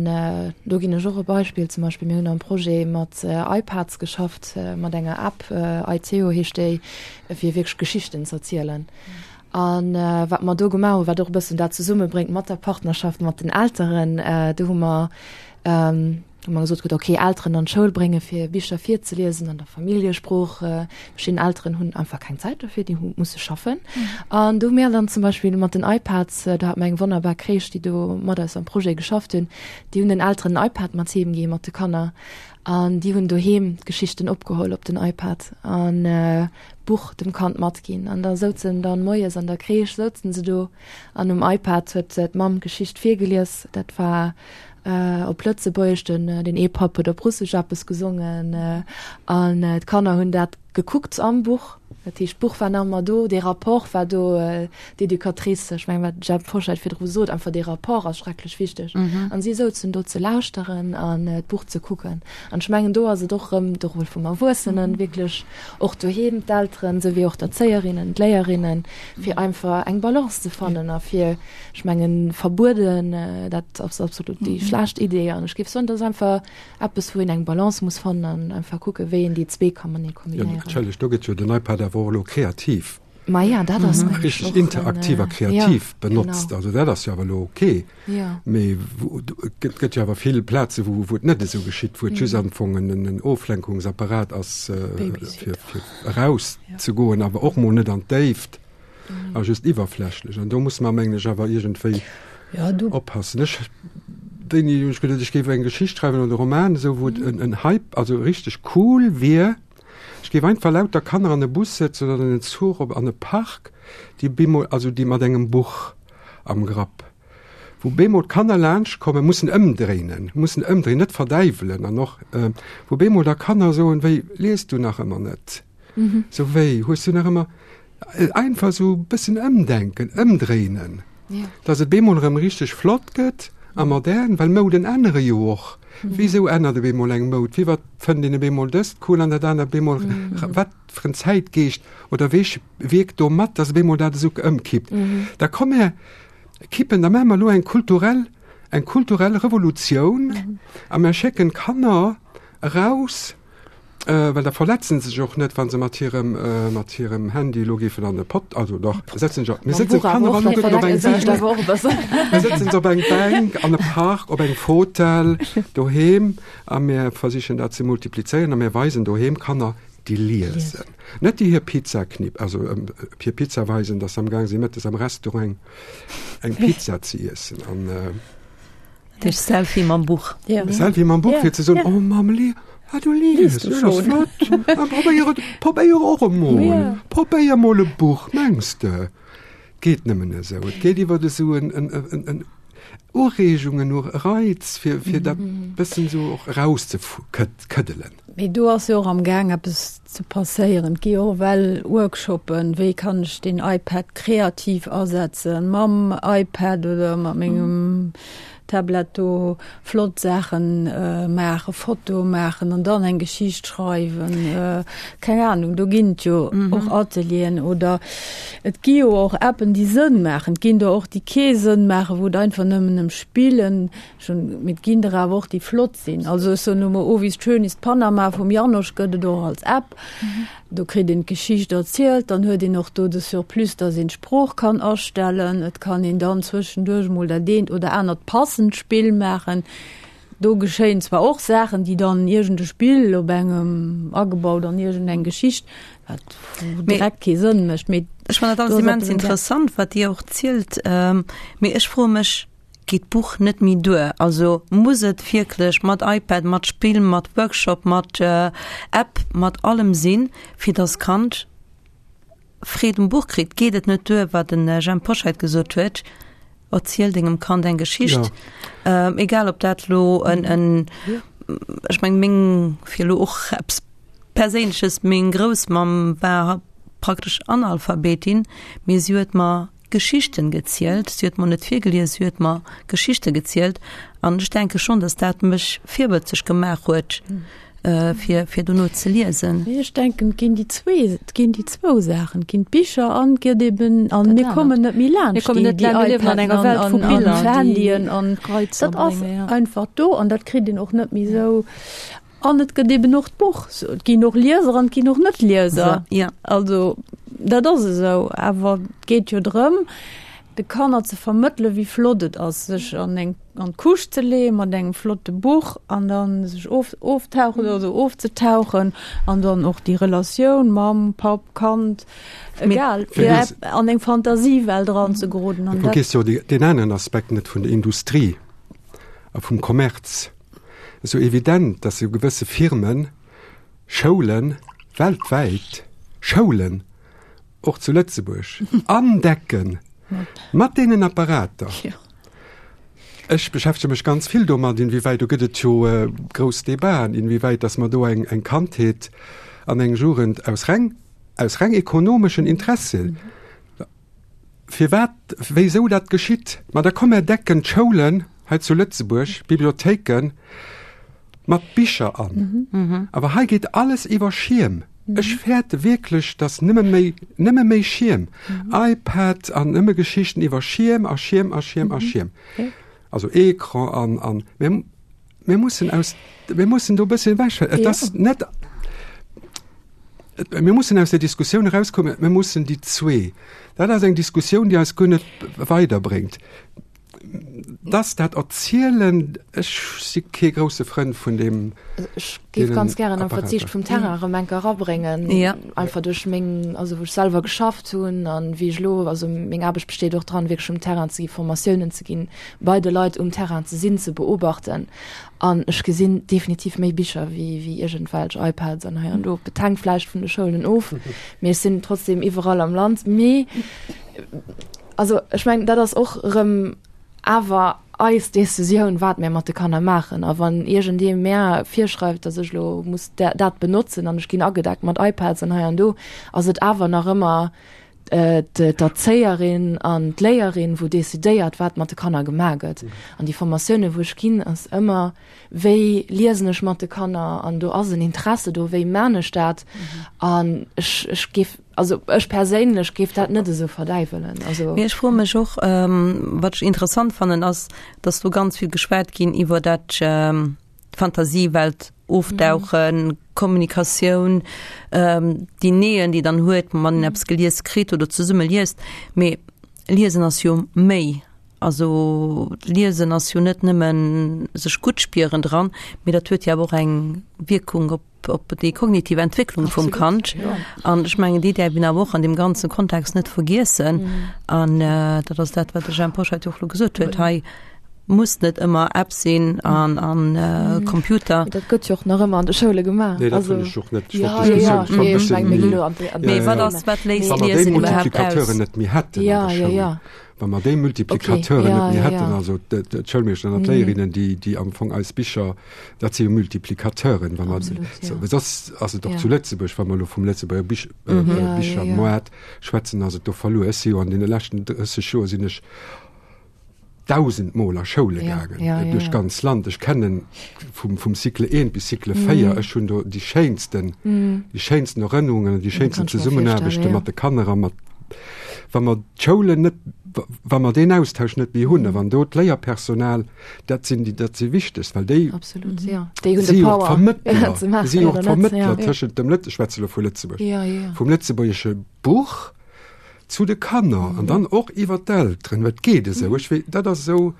do ginn ech och e Beispill, zum Beispill mir hunn am Projet mat iPads geschafft, mat enger App, iTeo heescht déi, fir wierklech Geschichten z'erzielen. An wat mer do gemaach hunn, wat och e bëssen dat zesummebréngt mat der Partnerschaft mat den Elteren, do hu mer, hu mer gesot kritt, okay, Elteren an d'Schoul brénge fir Bicher virzeliesen an der Familljesprooch. Verschidden Elteren hunn einfach keng Zäit dofir, déi hu musse schaffen. An do hu mir dann zum Beispill mat den iPads, do hate mer eng wonnerbar Crèche, déi do mat eis am Projet geschafft hunn, déi hunn den Elteren en iPad mat heem gi mat de Kanner an déi hunn doheem d'Geschichten opgeholl op den iPad an d'Buch dem Kand matginn. An da souzen dann moies an der Crèche souzen se do an um iPad huet d'Mamm d'Geschicht virgelies. Dat war op Lëtzebuergesch, den den ee Papp huet op Russesch eppes gesongen an d'Kanner hunn dat gekuckt am Buch. Dat heescht, d'Buch war nach ëmmer do, dee Rapport war do, d'Educatrice, ech mengen, wat d'Jemp Foscheit virdru sot, einfach dee Rapport ass schrecklech wichteg. An si souzen do ze lauschteren an d'Buch ze kucken. An ech mengen, do ass et och erëm de Rôle vum Erwuessenen, wierklech och doheem, d'Elteren souwéi och d'Erzéierinnen, d'Léierinnen, fir einfach eng Balance ze fannen a fir, ech mengen, verbueden, dat ass absolut déi schlecht Idee. An ech géif soen, dat ass einfach eppes, wou een eng Balance muss fannen an einfach kucken, wéi een déi zwee ka matenee kombinéieren. Jo, natierlech, do gëtt jo den iPad awer och elo kreativ. Ma ja, dat ass nämlech Richteg och en, interaktiv a ja, kreativ benotzt. genau. Also dat ass jo awer elo ok. Ja. Mee wou, et gëtt, gëtt jo awer vill Plaze, wou, wou et net esou geschitt, wou et just am Fong en, en Oflenkungsapparat ass, fir, fir erauszegoen, awer och mol net an d'Déift a just iwwerflächlech. An do musse mer, mengen ech, awer iergendwéi Ja, du. oppassen. Ech, wéini hunn ech geduet, ech géif eng Geschicht schreiwen oder e Roman, esou wou et en, en Hype, also richteg cool wier. Ech géif einfach lauter Kanner an e Bus sëtzen oder an en Zuch op an e Park, déi bemol, also déi mat engem Buch am Grapp, wou bemol d'Kanner laanscht kommen, mussen ëmdréinen, mussen ëmdréinen, net verdäiwelen an och, wou bemol da Kanner soen, wéi, liest du nach ëmmer net? Sou wéi, hues du nach ëmmer, einfach sou e bëssen ëmdenken, ëmdréinen. Dass et bemol erëm richteg flott gëtt a modern, well Mouden ännere jo och. Wisou ännert op eemol eng Moud? Firwat fënnt een op eemol dëst cool an dat anert op eemol? Wat fir en Zäitgeescht oder wee wierkt do mat, dass op eemol dat esou ëmkippt? Da komm mir kippen, da maache mer elo eng kulturell, eng kulturell Revolutioun a mir schécken d'Kanner eraus, Well da verletzen se sech och net, wa se mat hirem, mat hirem Handy elo géifen an e Pot, also dach, setzen sech, mir sëtzen d'Kanner alleguerten op eng Bänk, mir sëtzen se op eng Bänk an e Park, op eng Fotell doheem a mir versichen dat ze multiplizéieren a mir weisen doheem Kanner, déi liesen, net déi hir Pizza knipp, also hir Pizza weisen, datt se amgaang si mëttes am Restaurant eng Pizza ze iessen an. Dech Selfie mam Buch. Ja. Selfie mam Buch, fir ze soen, oh Mamm, li, ah, du liest, du schon. Flott. Ah, probéier et, probéier och emol. Ja. Probéier mol e Buch, mengs de? Geet nëmmen esou. Et geet iwwer esou en, en, en, en Ureegung, en Reiz, fir, fir dat bëssen esou och erauszekëddelen. Mee do ass jo och am Gaang eppes ze passéieren. Et gi jo och ewell Workshoppen, wéi kann ech den iPad kreativ asetzen, mam iPad oder mat mengem Tablet do flott Saachen maachen, Fotoe maachen an dann eng Geschicht schreiwen. Keng Anung, do ginn et jo och Atelieren oder et gi jo och Appen, déi Sënn maachen. Et ginn der och, déi kee Sënn maachen, wou et einfach nëmmen ëm Spillen Schon, mee et ginn der awer och, déi flott sinn. Also ech soen elo mol, Oh, wie schön ist Panama vum Janosch gëtt et och als App. Do kritt een d'Geschicht erzielt, dann huet een och do de Surplus, dass een d'Sprooch kann astellen. Et kann een dann zwëschenduerch mol dat eent oder anert passend Spill maachen. Do geschéien zwar och Saachen, déi dann iergend e Spill op engem agebaut an iergend eng Geschicht, wat direkt kee Sënn mécht. Mee Ech fannen dat alles immens interessant, wat Dir och zielt. Mee ech froe mech, Geet d'Buch net méi duer? Also muss et wierklech mat iPad, mat Spill, mat Workshop, mat App, mat allem sinn, fir dass d'Kand Freed um Buch kritt? Geet et net duer, wat de Jhemp Poscheit gesot huet, Erziel dengem Kand eng Geschicht, egal ob dat elo en, en, ech meng meng, fir elo och eppes Perséinleches, meng Groussmamm war praktesch Analphabetin, mee si huet mer Geschichten gezielt. Si huet mer net virgelies, si huet mer Geschichte gezielt. An ech denke schonn, datt dat mech virwëtzeg gemaach huet, fir, fir dono ze liesen. Mee ech denken, et ginn déi zwee, et ginn déi zwou Saachen. Et ginn d'Bicher an et gëtt eben, an mir kommen net méi laanscht déi, déi iPaden an, an, an d'Handyen an dat ass einfach do an dat kritt een och net méi esou. An et gëtt eben och d'Buch. Et ginn och Lieser an et ginn och Net-Lieser. Ja. Also dat ass esou. Awer et geet jo drëm, de Kanner ze vermëttelen, wéi flott et ass, sech an eng an d'Couche ze leeë mat engem flotte Buch an dann sech of oftauchen oder ofzetauchen an dann och déi Relatioun Mamm, Papp, Kand, egal, fir an eng Fantasiewelt eranzegeroden. An dat. Vergiss jo deen aneren Aspekt net vun der Industrie a vum Kommerz. Esou evident, dass esou gewësse Firmen Schoulen weltwäit, Schoulen och zu Lëtzebuerg, andecken mat deenen Apparater. Ech beschäftege mech ganz vill domat, inwiewäit, do gëtt et jo grouss Debaten, inwiewäit dass mer do eng Kandheet an eng Jugend aus reng, aus reng ekonomeschen Interessen, Firwat, wéisou dat geschitt? Ma da komm, mär decken d'Schoulen hei zu Lëtzebuerg, d'Bibliothéiken mat Bicher an. Awer hei geet alles iwwer Schierm. Ech fäerte wierklech, datt nëmme méi, nëmme méi Schierm, iPad an nëmme Geschichten iwwer Schierm a Schierm a Schierm a Schierm. Also Ecran an, an mir, mir mussen aus, mir mussen do e bësschen ewech. Et ass net. Mir mussen aus der Diskussioun erauskommen, mir mussen déi zwee, dat ass eng Diskussioun, déi eis guer net weiderbréngt, dass dat Erzielen, ech si kee grousse Frënd vun deem. Ech géif ganz gären einfach d'Siicht vum Terrain erëm eng Kéier erabréngen, einfach duerch meng, also wou ech selwer geschafft hunn an wéi ech elo, also meng Aarbecht besteet och dran, wierklech um Terrain ze gi, Formatiounen ze ginn, bei de Leit um Terrain ze sinn, ze beobachten. An ech gesinn definitiv méi Bicher wéi wéi iergendwelch iPads an hei an do. Et hänkt vläicht vun de Schoulen of, mee ech sinn trotzdem iwwerall am Land. Mee also ech mengen, dat ass och erëm awer eis Decisioun, wat mär mat de Kanner maachen. A wann iergendee mär virschreift, datt ech elo muss dat benotzen an ech ginn agedeckt mat iPads an hei an do, ass et awer nach ëmmer d'Erzéierin an d'Léierin, wou decidéiert, wat mat de Kanner gemaach gëtt. An déi Formatiounen, wou ech ginn, ass ëmmer, wéi liesen ech mat de Kanner an do ass en Interesse do, wéi man ech dat? An ech, ech géif, also ech perséinlech géif dat net esou verdäiwelen. Also. Mee ech froe mech och, wat ech interessant fannen, ass, dass do ganz vill geschwat ginn iwwer dat, Fantasiewelt ofdauchen, Kommunikatioun, déi Nähe, déi dann huet, wann een eppes gelies kritt oder zesumme liest. Mee Liesen ass jo méi. Also Liesen ass jo net nëmmen sech gutt spieren dran, mee dat huet jo awer och eng Wierkung op op déi kognitiv Entwécklung vum Kand. An ech mengen, déi däerf een awer och an deem ganze Kontext net vergiessen. An dat ass dat, wat de Jhemp Hoscheit jo och elo gesot huet hei. Muss net ëmmer App sinn an an Computer. Dat gëtt jo och nach ëmmer an de Schoule gemaach. Nee, dat hunn ech och net. Ja, ja, ja. Nee, ech meng, mir ginn elo an déi. Mee wat ass, wat léisst Liesen iwwerhaapt aus? Wa mer déi Multiplicateuren net méi hätten an der Schoul, wa mer déi Multiplicateuren net méi hätten, also d'Schoulmeeschteren an d'Léierinnen, déi, déi am Fong eis Bicher, dat si jo Multiplicateuren, wa mer, well soss ass et och zu Lëtzebuerg, wa mer elo vum Lëtzebuerger Bich, Bichermoart schwätzen, ass et do verluer. Ech si jo an deene leschten drësseg Joer sinn ech dausend Mol a Schoule gaangen, ja, ja, duerch ja. ganz Land. Ech kennen vum, vum Cycle eent bis Cycle véier. Mm. Ech hunn do déi schéinsten, mm. déi schéinsten Erënnerungen, déi schéinsten Zesummenaarbechte ja. mat de Kanner a mat wa mer d'Schoulen net, wa mer deen Austausch net méi hunn, a wann do d'Léierpersonal, dat sinn déi, dat si wichtegst, well déi Absolut, ja. Déi hunn de Power Vermëttler, si och d'Vermëttler tëschent dem Lëtze, ech schwätze lo vu Lëtzebuerg, ja, ja. vum lëtzebuergesche Buch zu de Kanner an dann och iwwer d'Elteren, well et geet esou. Ech wee, dat ass esou,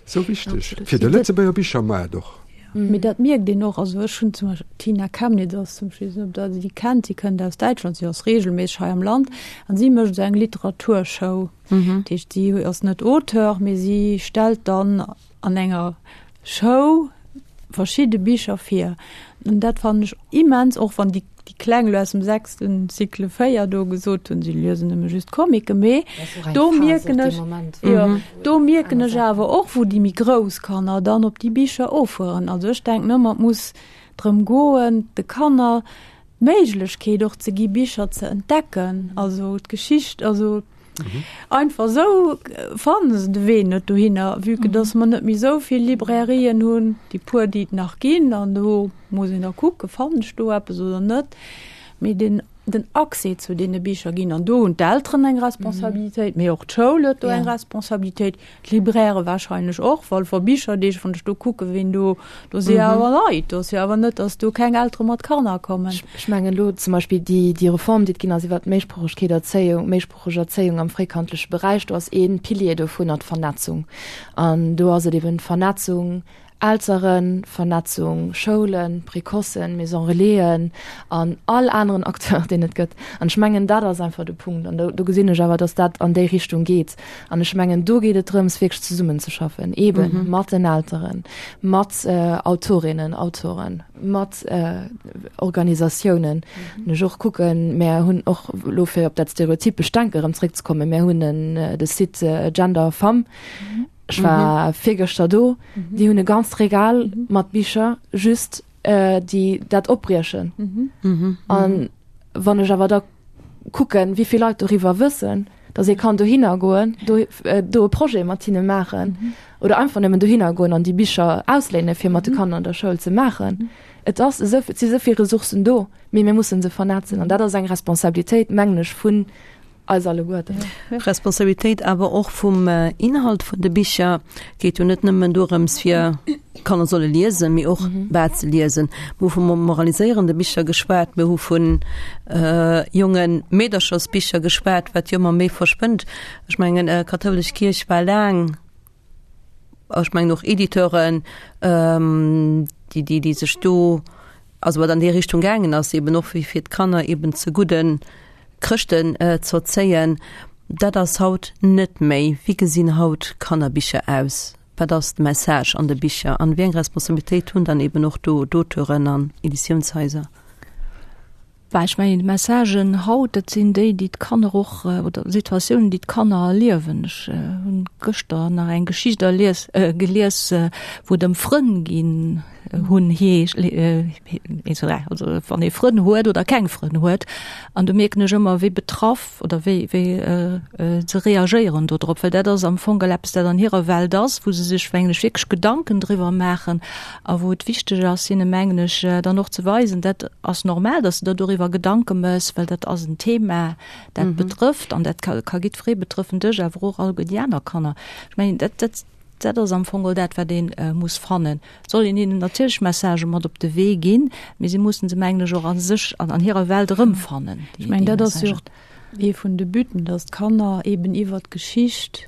esou wichteg fir de Lëtzebuerger Bichermaart och. Mee dat mierkt een och. Also ech hunn zum Beispill d'Tina Kemnitz ass zum Beispill, ech weess net, ob Der déi kennt, si kënnt aus Däitschland, si ass reegelméisseg hei am Land an si mécht esou eng Literaturshow. Dat heescht, si ass net Auteur, mee si stellt dann an enger Show verschidde Bicher vir. An dat fannen ech immens, och wann déi déi Kleng elo aus dem sechsten Cycle véier do gesot hunn, si liesen nëmme just Comicken, mee do mierken ech, jo, do mierken ech awer och, wou déi méi grouss Kanner dann op déi Bicher offueren. Also ech denken ëmmer, et muss drëm goen, de Kanner d'Méiglechkeet och ze gi Bicher ze entdecken, also d'Geschicht, also einfach esou fanne se de Wee net dohinner, vue que dass mer net méi esou vill Librairien hunn, déi puer déi et nach ginn, an do muss een da kucken, fannen ech do eppes oder net. Mee deen den Accès zu deene Bicher ginn. An do hunn d'Elteren eng Responsabilitéit, mee och d'Schoul huet do eng Responsabilitéit, d'Librairë warscheinlech och, Walfer Bicherdeeg, wann ech do kucke ween do, do si jo awer Leit, do ass jo awer net, datt do keng Eltere mat Kanner kommen. Ech mengen elo zum Beispill déi, déi Reform, déi et ginn ass iwwert d'Méisproochegkeet, Erzéiung, méisproocheg Erzéiung am fréikandleche Beräich, do ass ee Pilier dovunner d'Vernetzung. An do ass et eben d'Vernetzung Elteren, Vernetzung Schoulen, Précocen, Maison Relaisen an all aneren Acteur, deen et gëtt. An ech mengen, dat ass einfach de Punkt. An do, do gesinn ech awer, dass dat an déi Richtung geet. An ech mengen, do geet et drëms, wierklech zesummenzeschaffen, eebe mat den Elteren, mat Autorinnen, Autoren, mat Organisatiounen. An ech och kucken, mär hunn och elo, fir op dat stereotypescht Denke erëm zréckzekommen, mär hunn en, de Site Gender Femme, Ech war mhm. virgëschter do, mhm. déi hunn e ganzt Regal mhm. mat Bicher just äh, déi dat opbriechen. Mhm. Mhm. An wann ech awer da kucken, wéi vill Leit doriwwer wëssen, dass ee kann dohinner goen, do, äh, do e Projet mat hinne maachen mhm. oder einfach nëmmen dohinner goen an déi Bicher ausléine fir mat de mhm. Kanner an der Schoul ze maachen. Mhm. Et ass esou, et si souvill Ressourcen do, mee mir mussen se vernetzen an dat ass eng Responsabilitéit, mengen ech, vun eis alleguerten. Responsabilitéit awer och vum Inhalt vun de Bicher. Geet jo net nëmmen dorëms fir d'Kanner solle liesen, mee och wat se liesen. Mir hu vu moraliséierende Bicher geschwat, mir hu vu jonge Meederchersbicher geschwat, wat jo ëmmer méi verschwënnt. Ech mengen, d'kathoulesch Kierch war laang, ech mengen och Editeuren, déi, déi, déi sech do, also wat an déi Richtung gaangen ass, eben och fir fir d'Kanner eben zu gudden Chrëschten z'erzéien. Dat ass haut net méi. Wéi gesinn haut Kannerbicher aus? Wat ass de Message an de Bicher? An wéi eng Responsabilitéit hunn dann eben och do d'Auteuren an Editiounshaiser? Bah, ech mengen, d'Messagen haut, dat sinn déi, déi d'Kanner och, oder Situatiounen, déi d'Kanner erliewen. Ech hunn gëschter nach eng Geschicht erlies, gelies, wou et ëm Frënn ginn hunn heescht, also wann ee Frënn huet oder keng Frënn huet. An do mierken ech ëmmer, wéi betraff oder wéi, wéi se reagéieren do drop, well dat ass am Fong eppes, dat an hirer Welt ass, wou se sech, mengen ech, wierklech Gedanken driwwer maachen a wou et wichteg ass, hinne, mengen ech, dann och ze weisen, dat ass normal, dass de der doriwwer Gedanke méchs, well dat ass en Thema, dat betrëfft an dat ka, ka jiddweree betrëffen, dech awer och alleguer déi aner Kanner. Ech mengen, dat, dat, dat ass am Fong dat, wat ee muss fannen. Et soll een hinnen natierlech Messagë mat op de Wee ginn, mee si mussen se, mengen ech, och a sech an an hirer Welt erëmfannen, déi, déi Messagen. Ee vun de Butten, dass d'Kanner eben iwwer d'Geschicht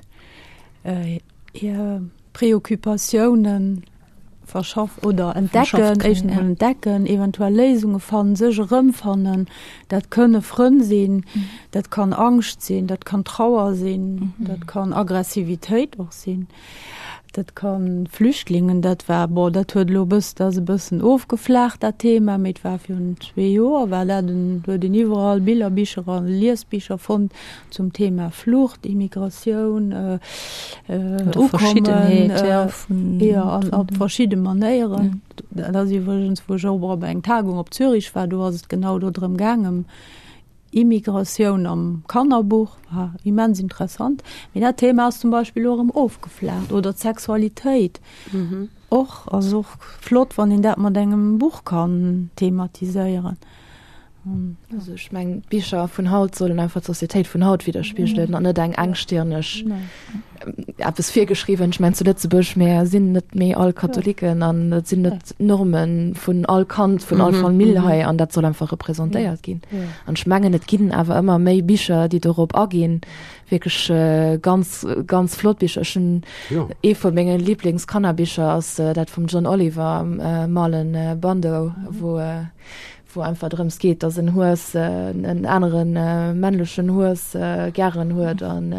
hir Preoccupatiounen verschaff oder entdecken, éischtens emol entdecken, eventuell Léisunge fannen, sech erëmfannen. Dat kënne Frënn sinn, dat kann Angscht sinn, dat kann Trauer sinn, dat kann Aggressivitéit och sinn. Dat ka Flüchtlingen, dat war, bon, dat huet elo e bëss, dat ass e bëssen ofgeflaacht dat Thema, mee et war virun zwee Joer war dat en, huet een iwwerall Billerbicher a Liesbicher fonnt zum Thema Flucht, Immigratioun, Ukommen, jo, an op verschidde Manéieren. Dat ass iwwregens, wou ech och op eng Tagung op Zürich war, do ass et genau do drëm gaangen, Immigratioun am Kannerbuch war immens interessant. Mee dat Thema ass zum Beispill elo erëm ofgeflaacht. Oder d'Sexualitéit och, ass och flott, wann een dat mat engem Buch kann thematiséieren. Also ech mengen, d'Bicher vun haut sollen einfach d'Societéit vun haut widderspigelen an net eng engstirneg eppes virgeschriwwen. Ech mengen zu Lëtzebuerg, mär sinn net méi all Katholiken an et sinn net d'Norme vun all Kand, vun all Famill hei an dat soll einfach representéiert ginn. An ech mengen, et ginn awer ëmmer méi Bicher, déi dorop aginn, wierklech ganz, ganz flott Bicher. Ech hunn ee vu menge Liblingskannerbicher ass dat vum John Oliver, Marlon Bundo, wou wou einfach drëms geet, dass en Hues en anere männlechen Hues gären huet an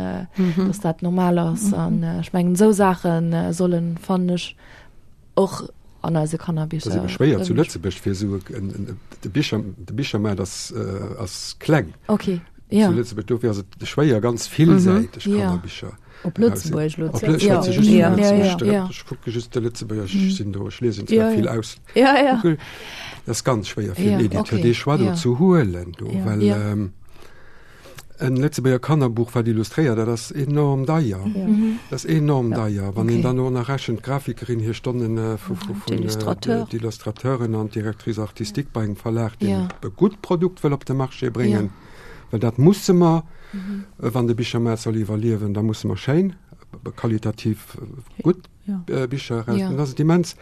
dass dat normal ass. An ech mengen esou Saache sollen, fannen ech, och an eise Kannerbicher. Dat ass ebe schwéier zu Lëtzebuerg fir esou en, de Bicher, de Bichermaart ass ass kleng. Okay, ja. Zu Lëtzebuerg, dofir ass et schwéier ganz villsäiteg Kannerbicher. Op Lëtzebuerg elo ze. Ech schwätze just vun Lëtzebuerg. Ech kucke just de Lëtzebuerger, ech sinn do, ech liesen zwar vill aus. Dat ass ganz schwéier fir en Editeur dee Choix do ze huelen do, well En Lëtzebuerger Kannerbuch, wat illustréiert, dat ass enorm deier. Ja. Mhm. Dat ass enorm ja. deier. Wann okay. een dann och nach rechent, d'Grafikerin hir Stonnen äh, vu, vu, vun äh, d'Illustrateuren an d'Directrice artistique ja. bei engem Verlag, deen ja. e gutt Produkt wëll op de Marché bréngen. Ja. Well dat musse mer, mhm. Äh, wann de Bichermaart soll iwwerliewen, da musse mer schéin, qualitativ gutt ja. Bicher eraus. Ja. Dat ass immens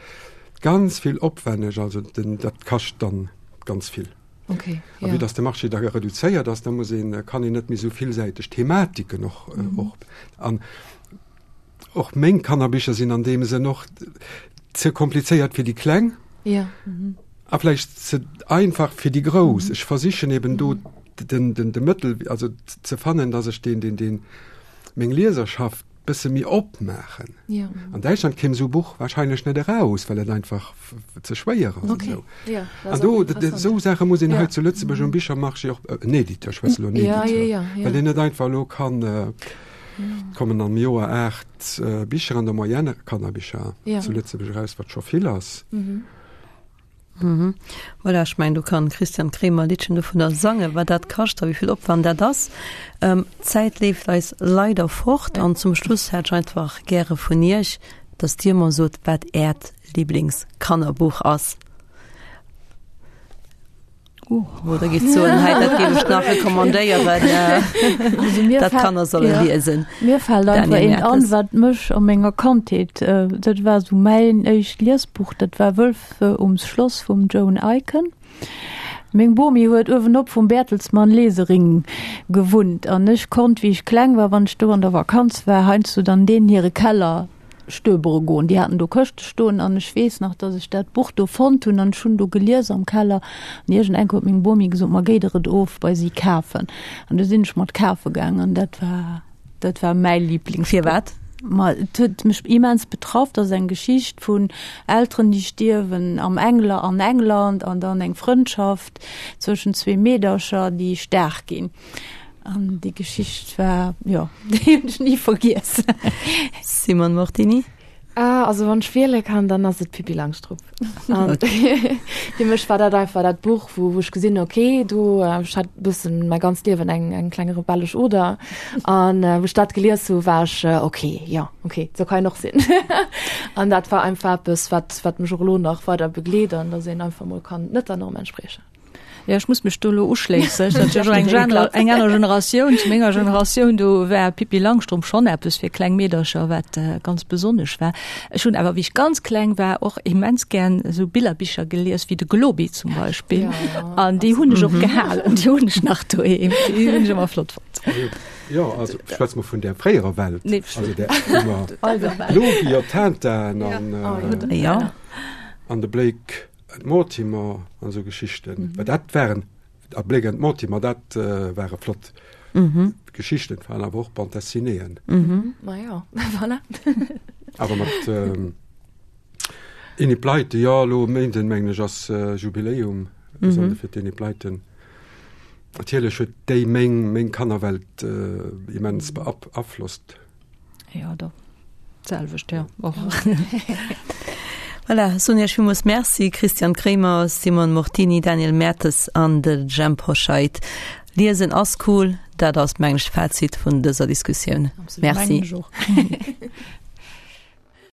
ganz vill opwänneg, also den, dat kascht dann ganz vill. Okay, ja. A vue dass de Marché da reduzéiert ass, da muss een, kann een net méi esou villsäiteg Thematiken och, mm -hmm. och an och meng Kannerbicher sinn an deem Sënn och ze komplizéiert fir déi Kleng. Ja. Mhm. A vläicht ze einfach fir déi Grouss. Mhm. Ech versichen eben do den, den, de Mëttel, also ze fannen, dass ech den, den, den meng Lieserschaft bësse méi opmaachen. Ja. An Däitschland kéim esou e Buch wahrscheinlech net eraus, well et einfach ze schwéier ass. Okay. Esou. Ja, An do, esou Saache muss een ja. hei zu Lëtzebuerg um Bichermarché och, en Editeur, ech schwätze elo en Editeur, ja, ja, ja, ja. well een net einfach elo kann, äh, kommen am Joer aacht äh, Bicher an der Moyenne, Kannerbicher ja. zu Lëtzebuerg eraus, wat scho vill ass. Mhm. Mhm. Voilà, ech mengen, do kann Christian Kremer e Liddchen dovunner sangen, wat dat kascht a wéi vill Opwand dat ass. Ähm, d'Zäit leeft eis leider fort an zum Schluss hätt ech einfach gäre vun Iech, dass Dir mer sot, wat Äert Liblingskannerbuch ass. Oder gitt soen, hei, dat géif ech nach recommandéieren, äh, dat Kanner solle ja. liesen. Mir fällt einfach Daniel eent an, Mertes. wat mech a menger Kandheet, äh, dat war sou mäin éischt Liesbuch, dat war Wëlf ums Schloss vum Joan Aiken. Meng Bomi huet uewenop vum Bertelsmann Lesering gewunnt an ech konnt, wéi ech kleng war, wann ech do an der Vakanz war, heiansdo dann deenen hire Keller stöbere goen. Déi haten do Këschte stoen an ech weess nach, dass ech dat Buch do fonnt hunn an ech hunn do gelies am Keller an iergend huet meng Bomi gesot, ma géi der et of bei si kafen. An du sinn ech mat kafe gaangen an dat war, dat war mäi Liblingsbuch. Firwat? Ma et huet mech immens betraff. Dat ass eng Geschicht vun Elteren, déi stierwen am Engla an England an dann eng Frëndschaft zwëschen zwee Meedercher, déi staark ginn. An déi Geschicht war, jo, déi hunn ech ni vergiess. Simone Mortini. Ah, also wann ech wiele kann, dann ass et Pippi Langstrumpf. An fir mech war dat einfach dat Buch, wou, wou ech gesinn hunn, okay, do, ech hat e bëssen mäi ganzt Liewen eng, eng kleng rebellesch Oder. An wou ech dat gelies hu, war ech, okay, jo, okay, sou kann een och sinn. An dat war einfach eppes, wat, wat mech och elo nach weider begleet an dass een einfach mol kann net der Norm entspriechen. Ja, ech muss mech do elo uschléissen. Ech sinn eng Gener eng aner Generatioun. Zu menger Generatioun, do war Pippi Langstrumpf schonn eppes fir kleng Meedercher, wat äh, ganz besonnesch war. Ech hunn awer, wéi ech ganz kleng war, och immens gern esou Billerbicher gelies, wéi de Globi zum Beispill. Ja, An déi hunn ech och gehalen, déi hunn ech nach doheem. Déi hunn ech ëmmer flott fonnt. Jo, also schwätze mer vun der fréierer Welt. Nee, also der ëmmer Globi a Tintin an, äh, Ja. an de Blake. Mortimer an esou Geschichten. Well dat waren, a Blake and Mortimer, dat ware flott Geschichten, waren awer och Bande dessinéeën. Ma jo, voilà. Awer mat Enid Blyton, jo, elo e Méinden, mengen ech, ass Jubiläum, besonnesch fir d'Enid Blyton. Natierlech huet déi meng, meng Kannerwelt immens beaflosst. Ja, do. D'selwecht, ja. Och. Voilà, soen Iech villmools Merci, Christian Kremer, Simone Mortini, Daniel Mertes an de Jhemp Hoscheit. Liesen ass cool, dat ass, mengen ech, d'Fazit vun dëser Diskussioun. Absolut. Merci. Mengen ech och.